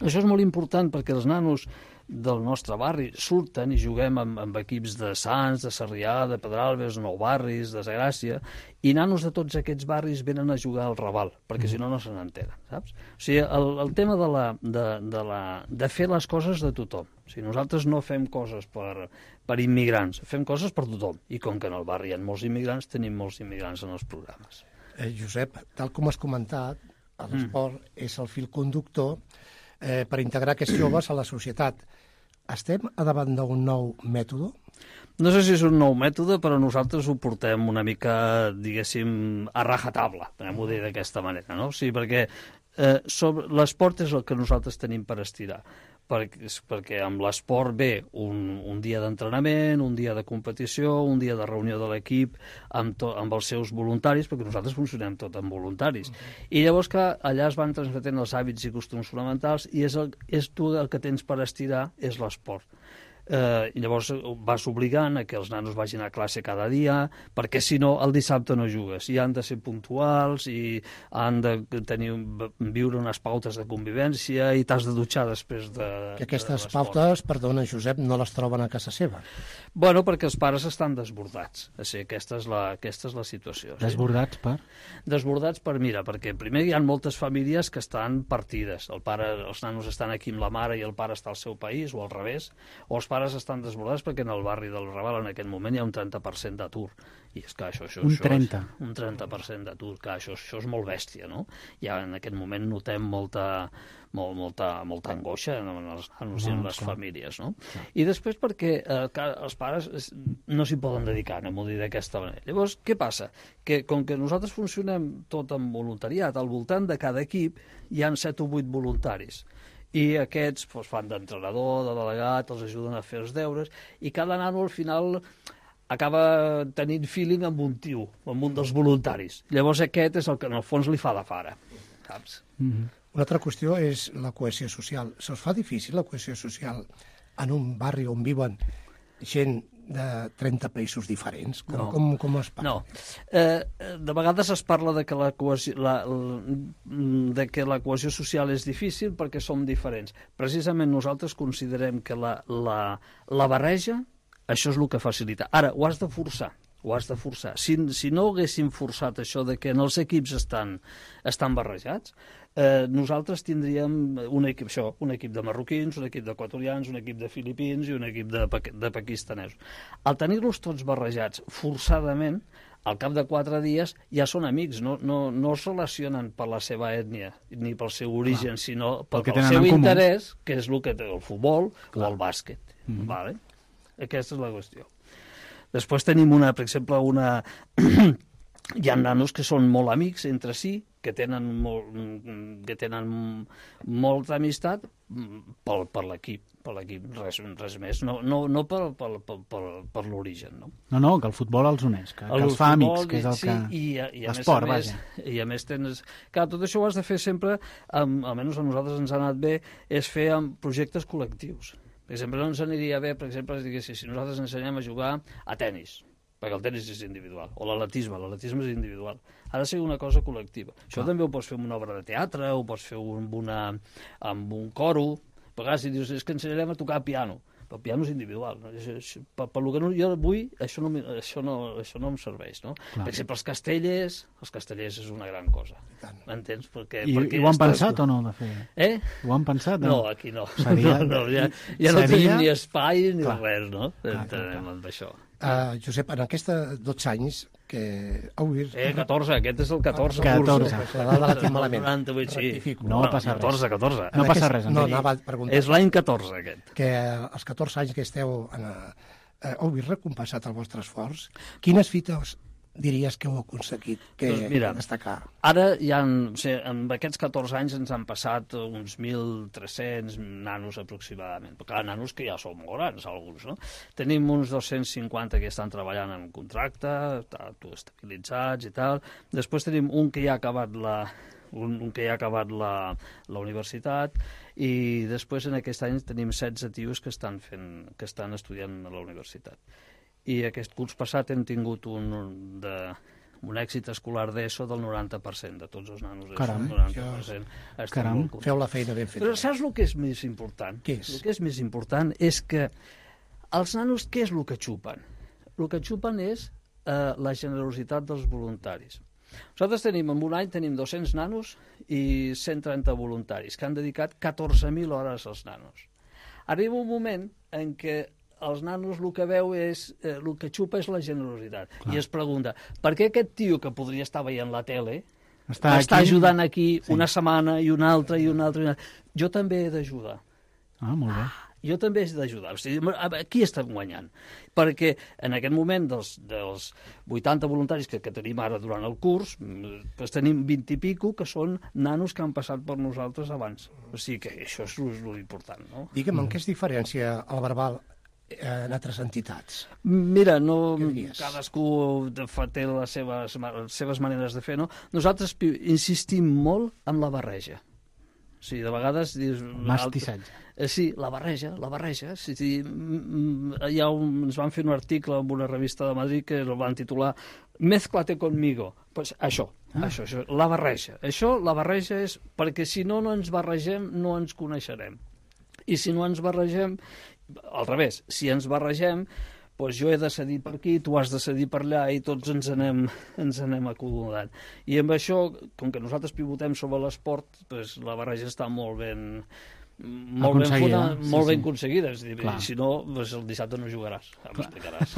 Això és molt important perquè els nanos del nostre barri surten i juguem amb, amb equips de Sants, de Sarrià, de Pedralbes, Nou Barris, de Sagràcia, i nanos de tots aquests barris venen a jugar al Raval, perquè si no, no se n'entenen, saps? O sigui, el, el tema de, la, de, de, la, de fer les coses de tothom. O sigui, nosaltres no fem coses per, per immigrants, fem coses per tothom. I com que en el barri hi ha molts immigrants, tenim molts immigrants en els programes. Eh, Josep, tal com has comentat, l'esport mm. és el fil conductor eh, per integrar aquests joves a la societat. Estem a davant d'un nou mètode? No sé si és un nou mètode, però nosaltres ho portem una mica, diguéssim, a rajatabla, podem-ho dir d'aquesta manera, no? O sigui, perquè eh, sobre, l'esport és el que nosaltres tenim per estirar, perquè, perquè amb l'esport ve un, un dia d'entrenament, un dia de competició, un dia de reunió de l'equip amb, to, amb els seus voluntaris, perquè nosaltres funcionem tot amb voluntaris. I llavors que allà es van transmetent els hàbits i costums fonamentals i és, el, és tu el que tens per estirar és l'esport. Eh, i llavors vas obligant a que els nanos vagin a classe cada dia, perquè si no el dissabte no jugues, i han de ser puntuals i han de tenir, viure unes pautes de convivència i t'has de dutxar després de, Que aquestes de pautes, perdona Josep, no les troben a casa seva. Bueno, perquè els pares estan desbordats. O sigui, aquesta és la, aquesta és la situació. Sí? Desbordats per? Desbordats per, mira, perquè primer hi ha moltes famílies que estan partides. El pare, els nanos estan aquí amb la mare i el pare està al seu país, o al revés, o els pares estan desbordats perquè en el barri del Raval en aquest moment hi ha un trenta per cent d'atur. I és que això, això, Un això trenta? És, un trenta per cent d'atur, que això, això és molt bèstia, no? Ja en aquest moment notem molta, molt, molta, molta angoixa en els nanos i en les famílies, no? I després perquè eh, els pares no s'hi poden dedicar, anem-ho a dir d'aquesta manera. Llavors, què passa? Que com que nosaltres funcionem tot amb voluntariat, al voltant de cada equip hi han set o vuit voluntaris. I aquests doncs, fan d'entrenador, de delegat, els ajuden a fer els deures, i cada nano al final acaba tenint feeling amb un tio, amb un dels voluntaris. Llavors aquest és el que en el fons li fa de fara, saps? Mm-hmm. Una altra qüestió és la cohesió social. Se'ls fa difícil la cohesió social en un barri on viuen gent de trenta països diferents? Com, No. com, com es parla? No. Eh, de vegades es parla de que, la cohesió, la, de que la cohesió social és difícil perquè som diferents. Precisament nosaltres considerem que la, la, la barreja, això és el que facilita. Ara, ho has de forçar. Ho has de forçar. Si, si no haguéssim forçat això de que en els equips estan, estan barrejats, eh, nosaltres tindríem un equip, això, un equip de marroquins, un equip d'equatorians, un equip de filipins i un equip de, de paquistanesos. Al tenir-los tots barrejats forçadament, al cap de quatre dies ja són amics, no, no, no es relacionen per la seva ètnia ni pel seu origen, clar, sinó pel, pel seu interès, que és el que té el futbol, clar, o el bàsquet. Mm-hmm. Vale? Aquesta és la qüestió. Després tenim, una, per exemple, una... hi ha nanos que són molt amics entre si, que tenen, molt, que tenen molta amistat per, per l'equip, per l'equip, res, res més, no, no, no per, per, per, per, per l'origen. No? no, no, que el futbol els uneix, que, que els fa amics, que és el sí, que... I, i a l'esport, més, a més, i a més tens... Clar, tot això ho has de fer sempre, amb, almenys a nosaltres ens ha anat bé, és fer amb projectes col·lectius. Per exemple, no ens aniria bé, per exemple, si nosaltres ensenyem a jugar a tennis, perquè el tenis és individual, o l'atletisme, l'atletisme és individual. Ha de ser una cosa col·lectiva. Això ah. també ho pots fer amb una obra de teatre, ho pots fer amb, una, amb un coro, a vegades si dius, és que ensenyarem a tocar piano, però el piano és individual. No? Per, per lo que no, jo vull, això no, això no, això no em serveix. No? Per exemple, els castellers, els castellers és una gran cosa. M'entens? Perquè, I, perquè I ho han estàs... pensat o no, de fer? Eh? Ho han pensat? No, no aquí no. Seria... no, no ja ja no seria... tenim ni espai ni clar. Res, no? Clar, clar, clar. D'això. Uh, Josep, en aquests dotze anys que heu vist... Eh, catorze, aquest és el catorze. catorze. La dada la tinc malament. noranta-vuit, sí. Rectifico. No va passar res. catorze, catorze. No passa res. No, anava a preguntar. És l'any catorze, aquest. Que els catorze anys que esteu... En, eh, heu vist recompensat el vostre esforç? Quines fites diries que heu aconseguit que doncs mira, destacar? Ara hi ha, o sigui, en aquests catorze anys ens han passat uns mil tres-cents nanos aproximadament, però clar, nanos que ja són molt grans alguns, no? Tenim uns dos-cents cinquanta que estan treballant en contracte, estabilitzats i tal. Després tenim un que ja ha acabat la, un, un que ja ha acabat la, la universitat, i després en aquest any tenim setze tios que estan, fent, que estan estudiant a la universitat. I aquest curs passat hem tingut un, de, un èxit escolar d'ESO del noranta per cent de tots els nanos. Caram, noranta per cent. Caram. Feu la feina ben feta. Però saps el que és més important? Què és? El que és més important és que els nanos, què és el que xupen? El que xupen és eh, la generositat dels voluntaris. Nosaltres tenim, en un any tenim dos-cents nanos i cent trenta voluntaris que han dedicat catorze mil hores als nanos. Arriba un moment en què els nanos el que veu és, eh, el que xupa és la generositat. Clar. I es pregunta, per què aquest tio que podria estar veient la tele està, està aquí? ajudant aquí sí. una setmana i una altra i una altra i una altra? Jo també he d'ajudar. Ah, molt bé. Jo també he d'ajudar. O sigui, aquí estem guanyant. Perquè en aquest moment dels, dels vuitanta voluntaris que, que tenim ara durant el curs, doncs tenim vint i pico que són nanos que han passat per nosaltres abans. O sigui que això és l'important, no? Digue'm, en què es diferencia el verbal en altres entitats? Mira, no, cadascú té les seves, les seves maneres de fer, no? Nosaltres insistim molt en la barreja. O sigui, de vegades... Dius, mastissatge. Eh, sí, la barreja, la barreja. Sí, sí, ja un, ens van fer un article en una revista de Madrid que el van titular Mézclate conmigo. Pues això, ah. això, això, la barreja. Això, la barreja és perquè si no, no ens barregem, no ens coneixerem. I si no ens barregem, al revés, si ens barregem, doncs jo he de cedir per aquí, tu has de cedir per allà i tots ens anem, ens anem acomodant. I amb això, com que nosaltres pivotem sobre l'esport, doncs la barreja està molt ben, molt ben, fona, sí, molt ben sí. aconseguida. És dir, si no, doncs el dissabte no jugaràs, ja m'explicaràs.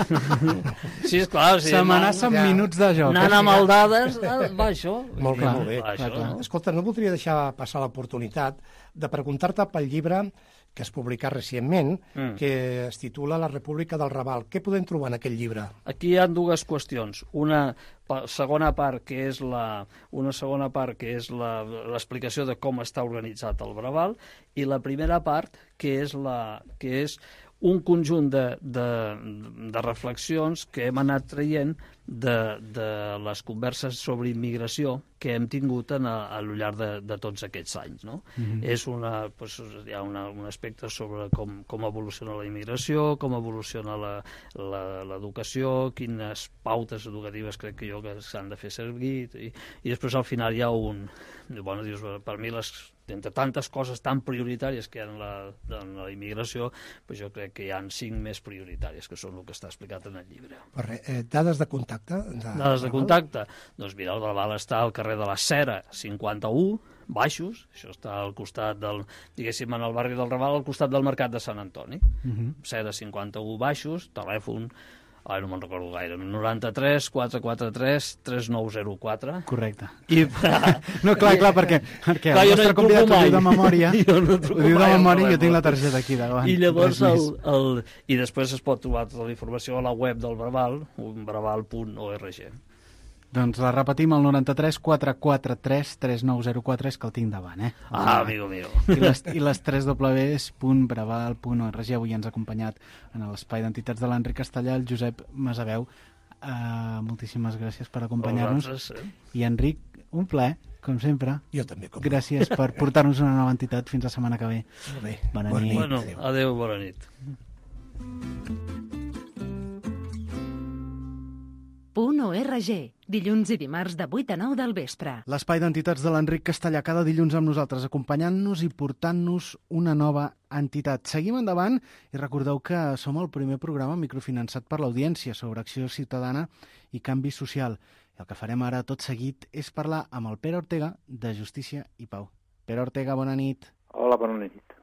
Sí, és clar. Sí, s'amenaça amb ja. minuts de joc. Anant amb el dades, va això. Molt bé, molt bé. Va, això, no? Escolta, no voldria deixar passar l'oportunitat de preguntar-te pel llibre que es publicat recentment, mm. que es titula La República del Raval. Què podem trobar en aquest llibre? Aquí hi ha dues qüestions. Una segona part, que és la, una segona part, que és l'explicació de com està organitzat el Raval, i la primera part, que és, la, que és un conjunt de, de, de reflexions que hem anat traient de, de les converses sobre immigració que hem tingut en a, a lo llarg de, de tots aquests anys. No? Mm-hmm. És una, doncs, hi ha una, un aspecte sobre com, com evoluciona la immigració, com evoluciona l'educació, quines pautes educatives crec que jo que s'han de fer servir, i, i després al final hi ha un... Bueno, dius, per mi les... entre tantes coses tan prioritàries que hi ha en la, en la immigració, doncs jo crec que hi ha cinc més prioritàries, que són el que està explicat en el llibre. Però, eh, dades de contacte? De... Dades de contacte? Doncs mira, el Raval està al carrer de la Cera, cinquanta-u, Baixos, això està al costat del, diguéssim, en el barri del Raval, al costat del Mercat de Sant Antoni. Uh-huh. Cera, cinquanta-u, Baixos, telèfon Ai, no me'n recordo gaire. noranta-tres quatre quatre tres tres nou zero quatre. Correcte. I... No, clar, clar, perquè, perquè clar, el jo no nostre hi convidat ho truco diu de mai. memòria. Jo no Ho truco diu de mai al memòria i jo telèfon. tinc la targeta aquí davant. I llavors, Res el, més. el, i després es pot trobar tota la informació a la web del Braval, braval punt org. Doncs la repetim, el noranta-tres quatre quatre tres tres nou zero quatre, és que el tinc davant, eh? Ah, amigo mío. I les, i les tres dobles punt braval punt org. Avui ens ha acompanyat en l'espai d'entitats de l'Enric Castellà, el Josep Masaveu. Uh, moltíssimes gràcies per acompanyar-nos. Eh? I Enric, un plaer, com sempre. Jo també. Com Gràcies per portar-nos una nova entitat. Fins la setmana que ve. Molt bé. Bona Bona nit. nit. Bueno, Adéu. adéu, bona nit. Punt .org, dilluns i dimarts de vuit a nou del vespre. L'espai d'entitats de l'Enric Castellà cada dilluns amb nosaltres, acompanyant-nos i portant-nos una nova entitat. Seguim endavant i recordeu que som el primer programa microfinançat per l'audiència sobre acció ciutadana i canvi social. I el que farem ara tot seguit és parlar amb el Pere Ortega de Justícia i Pau. Pere Ortega, bona nit. Hola, bona nit.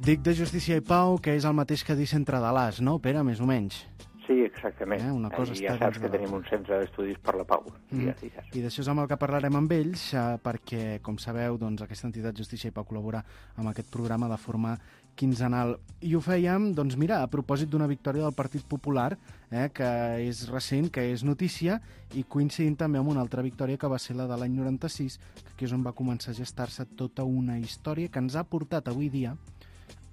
Dic de Justícia i Pau, que és el mateix que dir centre de l'As, no, Pere, més o menys? Sí, exactament. Eh, una cosa I està ja saps dins que de tenim l'altra. un centre d'estudis per la pau. Mm. Ja, sí, ja. I d'això és amb el que parlarem amb ells, eh, perquè, com sabeu, doncs, aquesta entitat Justícia i Pau col·labora amb aquest programa de forma quinzenal. I ho fèiem, doncs mira, a propòsit d'una victòria del Partit Popular, eh, que és recent, que és notícia, i coincidint també amb una altra victòria que va ser la de l'any noranta-sis, que aquí és on va començar a gestar-se tota una història que ens ha portat avui dia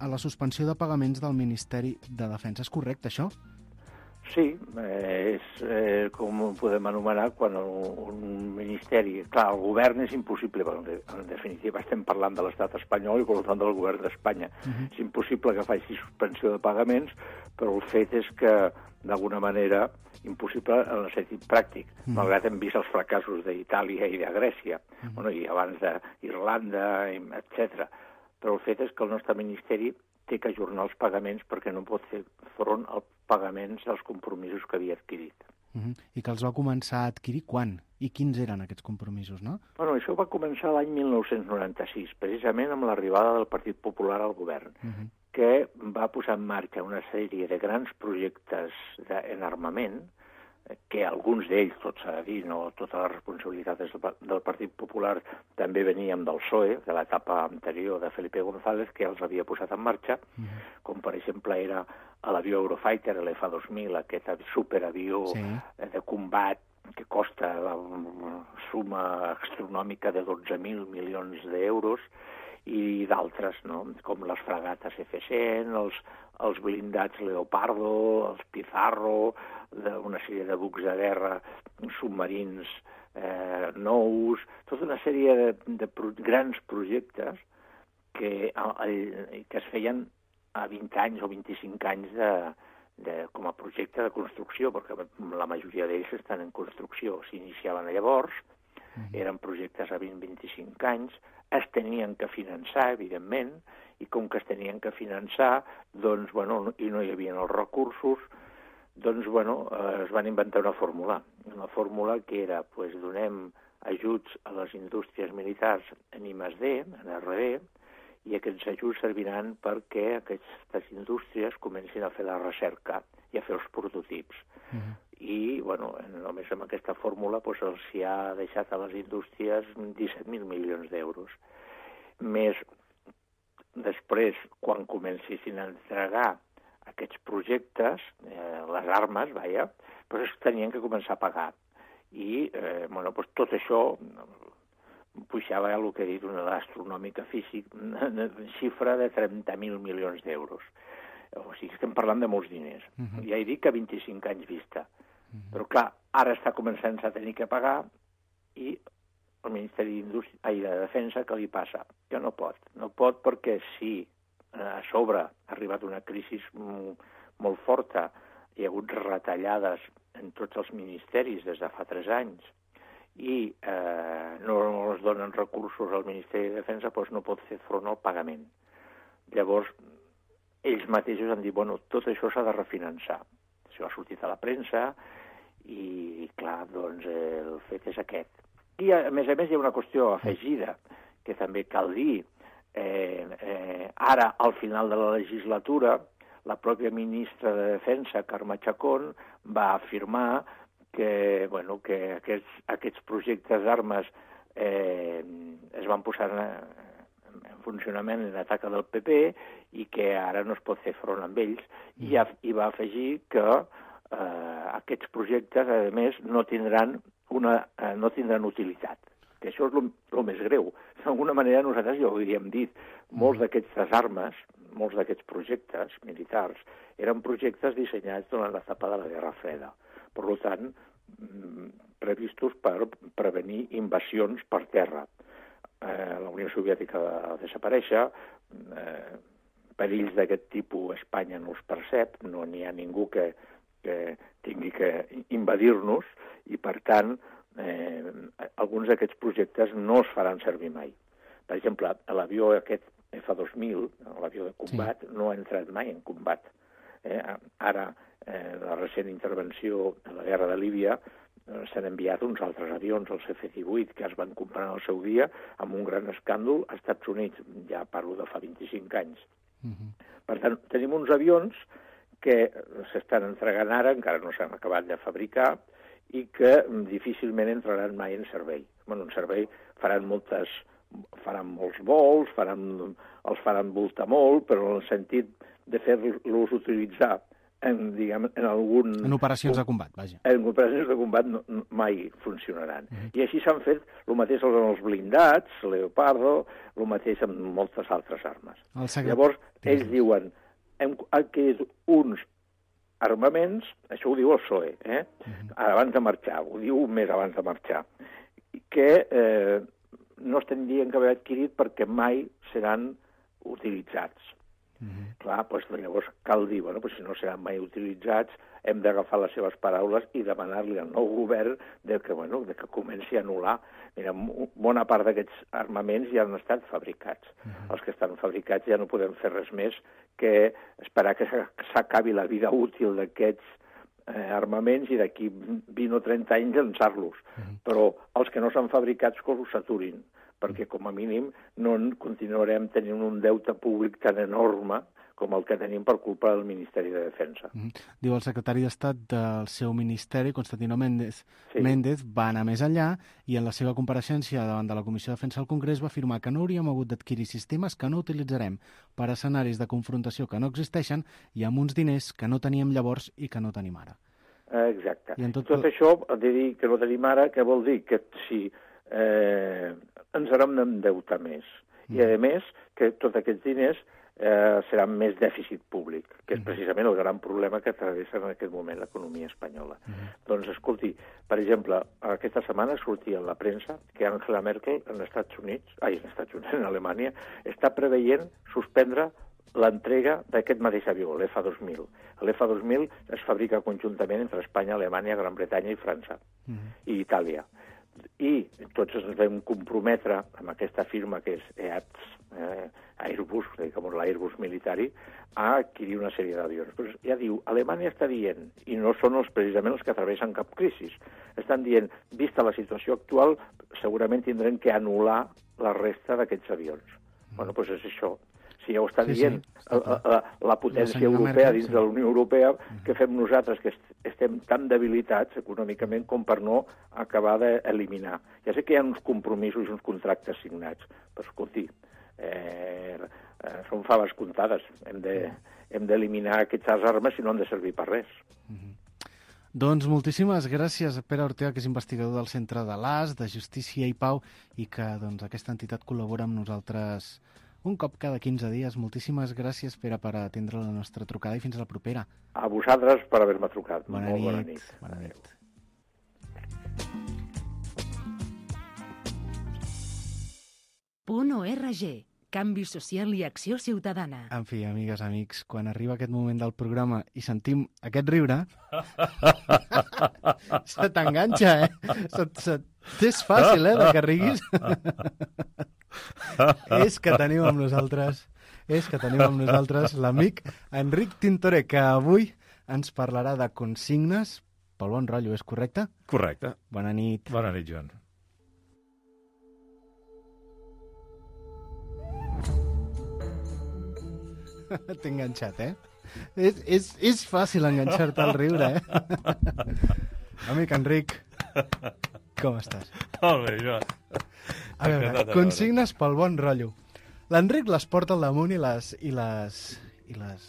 a la suspensió de pagaments del Ministeri de Defensa. És correcte, això? Sí, eh, és eh, com ho podem anomenar quan un ministeri... Clar, el govern és impossible, perquè en definitiva estem parlant de l'estat espanyol i per tant del govern d'Espanya. Uh-huh. És impossible que faci suspensió de pagaments, però el fet és que, d'alguna manera, impossible en el sentit pràctic, uh-huh. malgrat hem vist els fracassos d'Itàlia i de Grècia, uh-huh. bueno, i abans d'Irlanda, etcètera. Però el fet és que el nostre ministeri té que ajornar els pagaments perquè no pot fer front als pagaments dels compromisos que havia adquirit. Uh-huh. I que els va començar a adquirir quan? I quins eren aquests compromisos, no? Bueno, això va començar l'any mil nou-cents noranta-sis, precisament amb l'arribada del Partit Popular al govern, uh-huh. que va posar en marxa una sèrie de grans projectes de, en armament, que alguns d'ells, tot s'ha de dir, no tota la responsabilitat del Partit Popular també veníem del P S O E, de l'etapa anterior de Felipe González, que els havia posat en marxa, uh-huh. com per exemple era l'avió Eurofighter, l'F dos mil, aquest superavió sí. de combat que costa la suma astronòmica de dotze mil milions d'euros, i d'altres, no? Com les fragates F cent, els, els blindats Leopardo, els Pizarro, de una sèrie de bucs de guerra, submarins eh, nous, tota una sèrie de, de pro, grans projectes que, el, que es feien a vint anys o vint-i-cinc anys de, de, com a projecte de construcció, perquè la majoria d'ells estan en construcció. S'iniciaven llavors, eren projectes a vint a vint-i-cinc anys, es tenien que finançar, evidentment, i com que es tenien que finançar, doncs, bueno, i no hi havia els recursos, doncs, bueno, eh, es van inventar una fórmula. Una fórmula que era, doncs, donem ajuts a les indústries militars en I més D, en R D, i aquests ajuts serviran perquè aquestes indústries comencin a fer la recerca i a fer els prototips. Uh-huh. I, bueno, només amb aquesta fórmula doncs, els hi ha deixat a les indústries disset mil milions d'euros. Més després, quan comencessin a entregar aquests projectes, eh, les armes, vaja, doncs es tenien que començar a pagar. I, eh, bueno, doncs tot això pujava el que he dit, una astronòmica físic, una xifra de trenta mil milions d'euros. O sigui, estem parlant de molts diners. Uh-huh. Ja he dit que a vint-i-cinc anys vista. Uh-huh. Però, clar, ara està començant a tenir que pagar i el Ministeri d'Indústria i de Defensa, què li passa? Que no pot. No pot perquè si a sobre ha arribat una crisi molt forta, hi ha hagut retallades en tots els ministeris des de fa tres anys i eh, no es donen recursos al Ministeri de Defensa, doncs no pot fer front al pagament. Llavors, ells mateixos han dit, bueno, tot això s'ha de refinançar. Això ha sortit a la premsa i, clar, doncs eh, el fet és aquest. I, a més a més, hi ha una qüestió afegida que també cal dir. Eh, eh, ara, al final de la legislatura, la pròpia ministra de Defensa, Carme Chacón, va afirmar que, bueno, que aquests, aquests projectes d'armes eh, es van posar en, en funcionament en ataca del P P i que ara no es pot fer front amb ells. I, i va afegir que eh, aquests projectes, a més, no tindran, una, eh, no tindran utilitat. Que això és el més greu. D'alguna manera nosaltres ja ho havíem dit. Molts d'aquestes armes, molts d'aquests projectes militars, eren projectes dissenyats durant l'etapa de la Guerra Freda. Per tant, previstos per prevenir invasions per terra. Eh, la Unió Soviètica va desaparèixer, eh, perills d'aquest tipus Espanya no els percep, no n'hi ha ningú que, que tingui que invadir-nos i, per tant, eh, alguns d'aquests projectes no es faran servir mai. Per exemple, l'avió aquest F dos mil, l'avió de combat, sí. no ha entrat mai en combat. Eh, ara, eh, la recent intervenció de la guerra de Líbia, eh, s'han enviat uns altres avions, els F divuit, que es van comprar en el seu dia, amb un gran escàndol als Estats Units, ja parlo de fa vint-i-cinc anys. Uh-huh. Per tant, tenim uns avions que s'estan entregant ara, encara no s'han acabat de fabricar, i que difícilment entraran mai en servei. Bueno, en servei faran moltes faran molts vols, faran, els faran voltar molt, però en el sentit de fer-los utilitzar en, diguem, en algun... En operacions de combat, vaja. En operacions de combat no, mai funcionaran. Mm-hmm. I així s'han fet el mateix amb els blindats, Leopardo, el mateix amb moltes altres armes. Secret... Llavors, ells sí. diuen, hem adquirit uns armaments, això ho diu el P S O E, eh? Mm-hmm. abans de marxar, ho diu un mes abans de marxar, que... Eh, no es tindrien que haver adquirit perquè mai seran utilitzats. Mm-hmm. Clar, doncs llavors cal dir, bueno, doncs si no seran mai utilitzats, hem d'agafar les seves paraules i demanar-li al nou govern de que, bueno, de que comenci a anul·lar. Mira, bona part d'aquests armaments ja han estat fabricats. Mm-hmm. Els que estan fabricats ja no podem fer res més que esperar que s'acabi la vida útil d'aquests Eh, armaments i d'aquí vint o trenta anys llançar-los. Mm-hmm. Però els que no s'han fabricats que els saturin, perquè com a mínim no continuarem tenint un deute públic tan enorme com el que tenim per culpa del Ministeri de Defensa. Mm-hmm. Diu el secretari d'Estat del seu ministeri, Constantino Méndez, sí. Méndez, va anar més enllà i en la seva compareixença davant de la Comissió de Defensa del Congrés va afirmar que no hauríem hagut d'adquirir sistemes que no utilitzarem per a escenaris de confrontació que no existeixen i amb uns diners que no teníem llavors i que no tenim ara. Exacte. I tot... tot això, de dir que no tenim ara, què vol dir? Que si eh, ens haurem d'endeutar més. Mm. I, a més, que tots aquests diners eh, seran més dèficit públic, que és precisament el gran problema que travessa en aquest moment l'economia espanyola. Mm. Doncs, escolti, per exemple, aquesta setmana sortia en la premsa que Angela Merkel, en Estats Units, ai, en Estats Units, en Alemanya, està preveient suspendre l'entrega d'aquest mateix avió, l'F dos mil. L'F dos mil es fabrica conjuntament entre Espanya, Alemanya, Gran Bretanya i França, mm. i Itàlia. I tots ens vam comprometre amb aquesta firma que és E A T S, eh, Airbus, diguem, l'Airbus militari, a adquirir una sèrie d'avions. Però ja diu, Alemanya està dient, i no són els, precisament els que travessen cap crisi, estan dient, vista la situació actual, segurament tindrem que anul·lar la resta d'aquests avions. Mm. Bueno, doncs és això. Si ja ho està sí, dient sí, la, la, la potència la europea Merkel, dins sí. de la Unió Europea, què fem nosaltres, que estem tan debilitats econòmicament com per no acabar d'eliminar. Ja sé que hi ha uns compromisos i uns contractes signats, però escolti, eh, eh, són faves comptades. Hem de, hem d'eliminar aquestes armes i no han de servir per res. Mm-hmm. Doncs moltíssimes gràcies a Pere Ortega, que és investigador del Centre de l'A S, de Justícia i Pau, i que doncs, aquesta entitat col·labora amb nosaltres un cop cada quinze dies. Moltíssimes gràcies, Pere, per atendre la nostra trucada i fins a la propera. A vosaltres per haver-me trucat. Bona Molt nit. Bona nit. Bona nit. Punt O R G. Canvi social i acció ciutadana. En fi, amigues, amics, quan arriba aquest moment del programa i sentim aquest riure, se t'enganxa, eh? Se, se... És fàcil, eh, de que riguis. És que tenim amb nosaltres, és que tenim amb nosaltres l'amic Enric Tintoré, que avui ens parlarà de consignes pel bon rotllo, és correcte? Correcte. Bona nit. Bona nit, Joan. T'he enganxat, eh? És, és, és fàcil enganxar-te al riure, eh? Amic Enric, com estàs? Molt bé, Joan. A veure, consignes pel bon rotllo. L'Enric les porta al damunt i les... I les, i les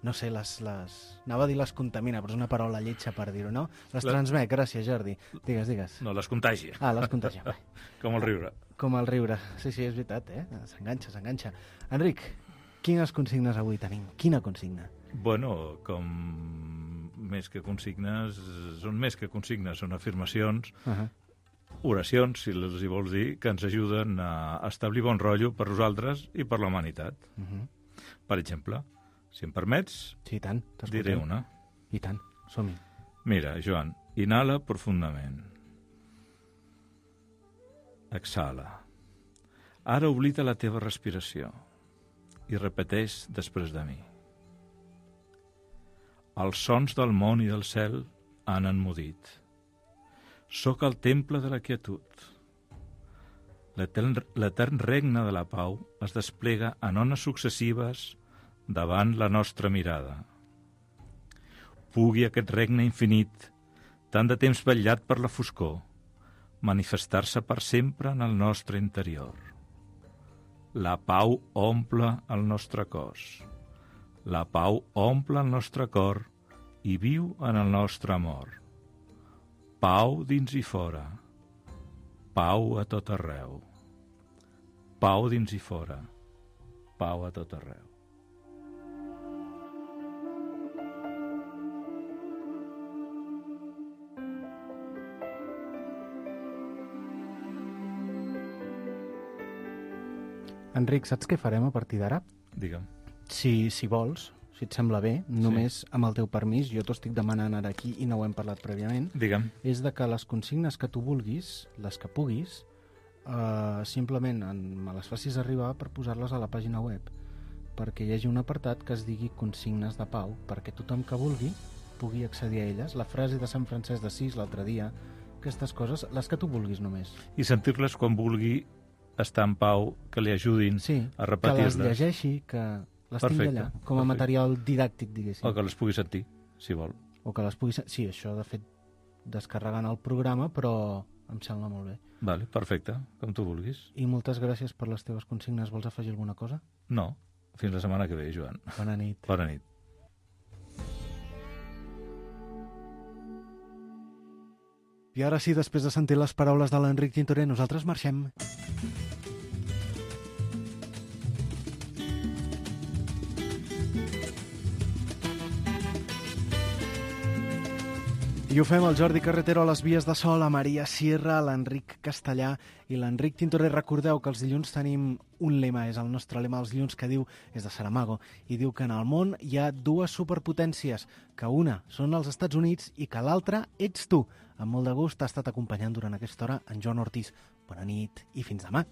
no sé, les, les... Anava a dir les contamina, però és una paraula lletja per dir-ho, no? Les transmet, gràcies, Jordi. Digues, digues. No, les contagia. Ah, les contagia. Com el riure. Com el riure. Sí, sí, és veritat, eh? S'enganxa, s'enganxa. Enric, quines consignes avui tenim? Quina consigna? Bueno, com més que consignes, són més que consignes, són afirmacions, uh-huh. oracions, si les hi vols dir, que ens ajuden a establir bon rotllo per nosaltres i per la humanitat. Uh-huh. Per exemple, si em permets, sí, tant, diré una. I tant, som-hi. Mira, Joan, inhala profundament. Exhala. Ara oblida la teva respiració i repeteix després de mi. Els sons del món i del cel han enmudit. Soc al temple de la quietud. L'etern regne de la pau es desplega en ones successives davant la nostra mirada. Pugui aquest regne infinit, tant de temps vetllat per la foscor, manifestar-se per sempre en el nostre interior. La pau omple el nostre cos. La pau omple el nostre cor i viu en el nostre amor. Pau dins i fora. Pau a tot arreu. Pau dins i fora. Pau a tot arreu. Enric, saps què farem a partir d'ara? Digue'm. Si, si vols, si et sembla bé, només sí. Amb el teu permís, jo t'ho estic demanant ara aquí i no ho hem parlat prèviament, digue'm. És de que les consignes que tu vulguis, les que puguis, eh, simplement en, me les facis arribar per posar-les a la pàgina web, perquè hi hagi un apartat que es digui consignes de pau, perquè tothom que vulgui pugui accedir a elles. La frase de Sant Francesc d'Assís l'altre dia, aquestes coses, les que tu vulguis només. I sentir-les quan vulgui estar en pau, que li ajudin sí, a repetir-les. Que les llegeixi, que les tingui allà, com a perfecte. Material didàctic, diguéssim. O que les pugui sentir, si vol. O que les pugui sentir, sí, això de fet descarregant el programa, però em sembla molt bé. Vale, perfecte, com tu vulguis. I moltes gràcies per les teves consignes. Vols afegir alguna cosa? No, fins la setmana que ve, Joan. Bona nit. Bona nit. I ara sí, després de sentir les paraules de l'Enric Tintorer, nosaltres marxem. I ho fem el Jordi Carretero a les vies de sol, a Maria Sierra, a l'Enric Castellà i l'Enric Tintorer. Recordeu que els dilluns tenim un lema, és el nostre lema dels dilluns, que diu, és de Saramago, i diu que en el món hi ha dues superpotències, que una són els Estats Units i que l'altra ets tu. Amb molt de gust t'ha estat acompanyant durant aquesta hora en Joan Ortiz. Bona nit i fins demà.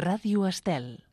Ràdio Estel.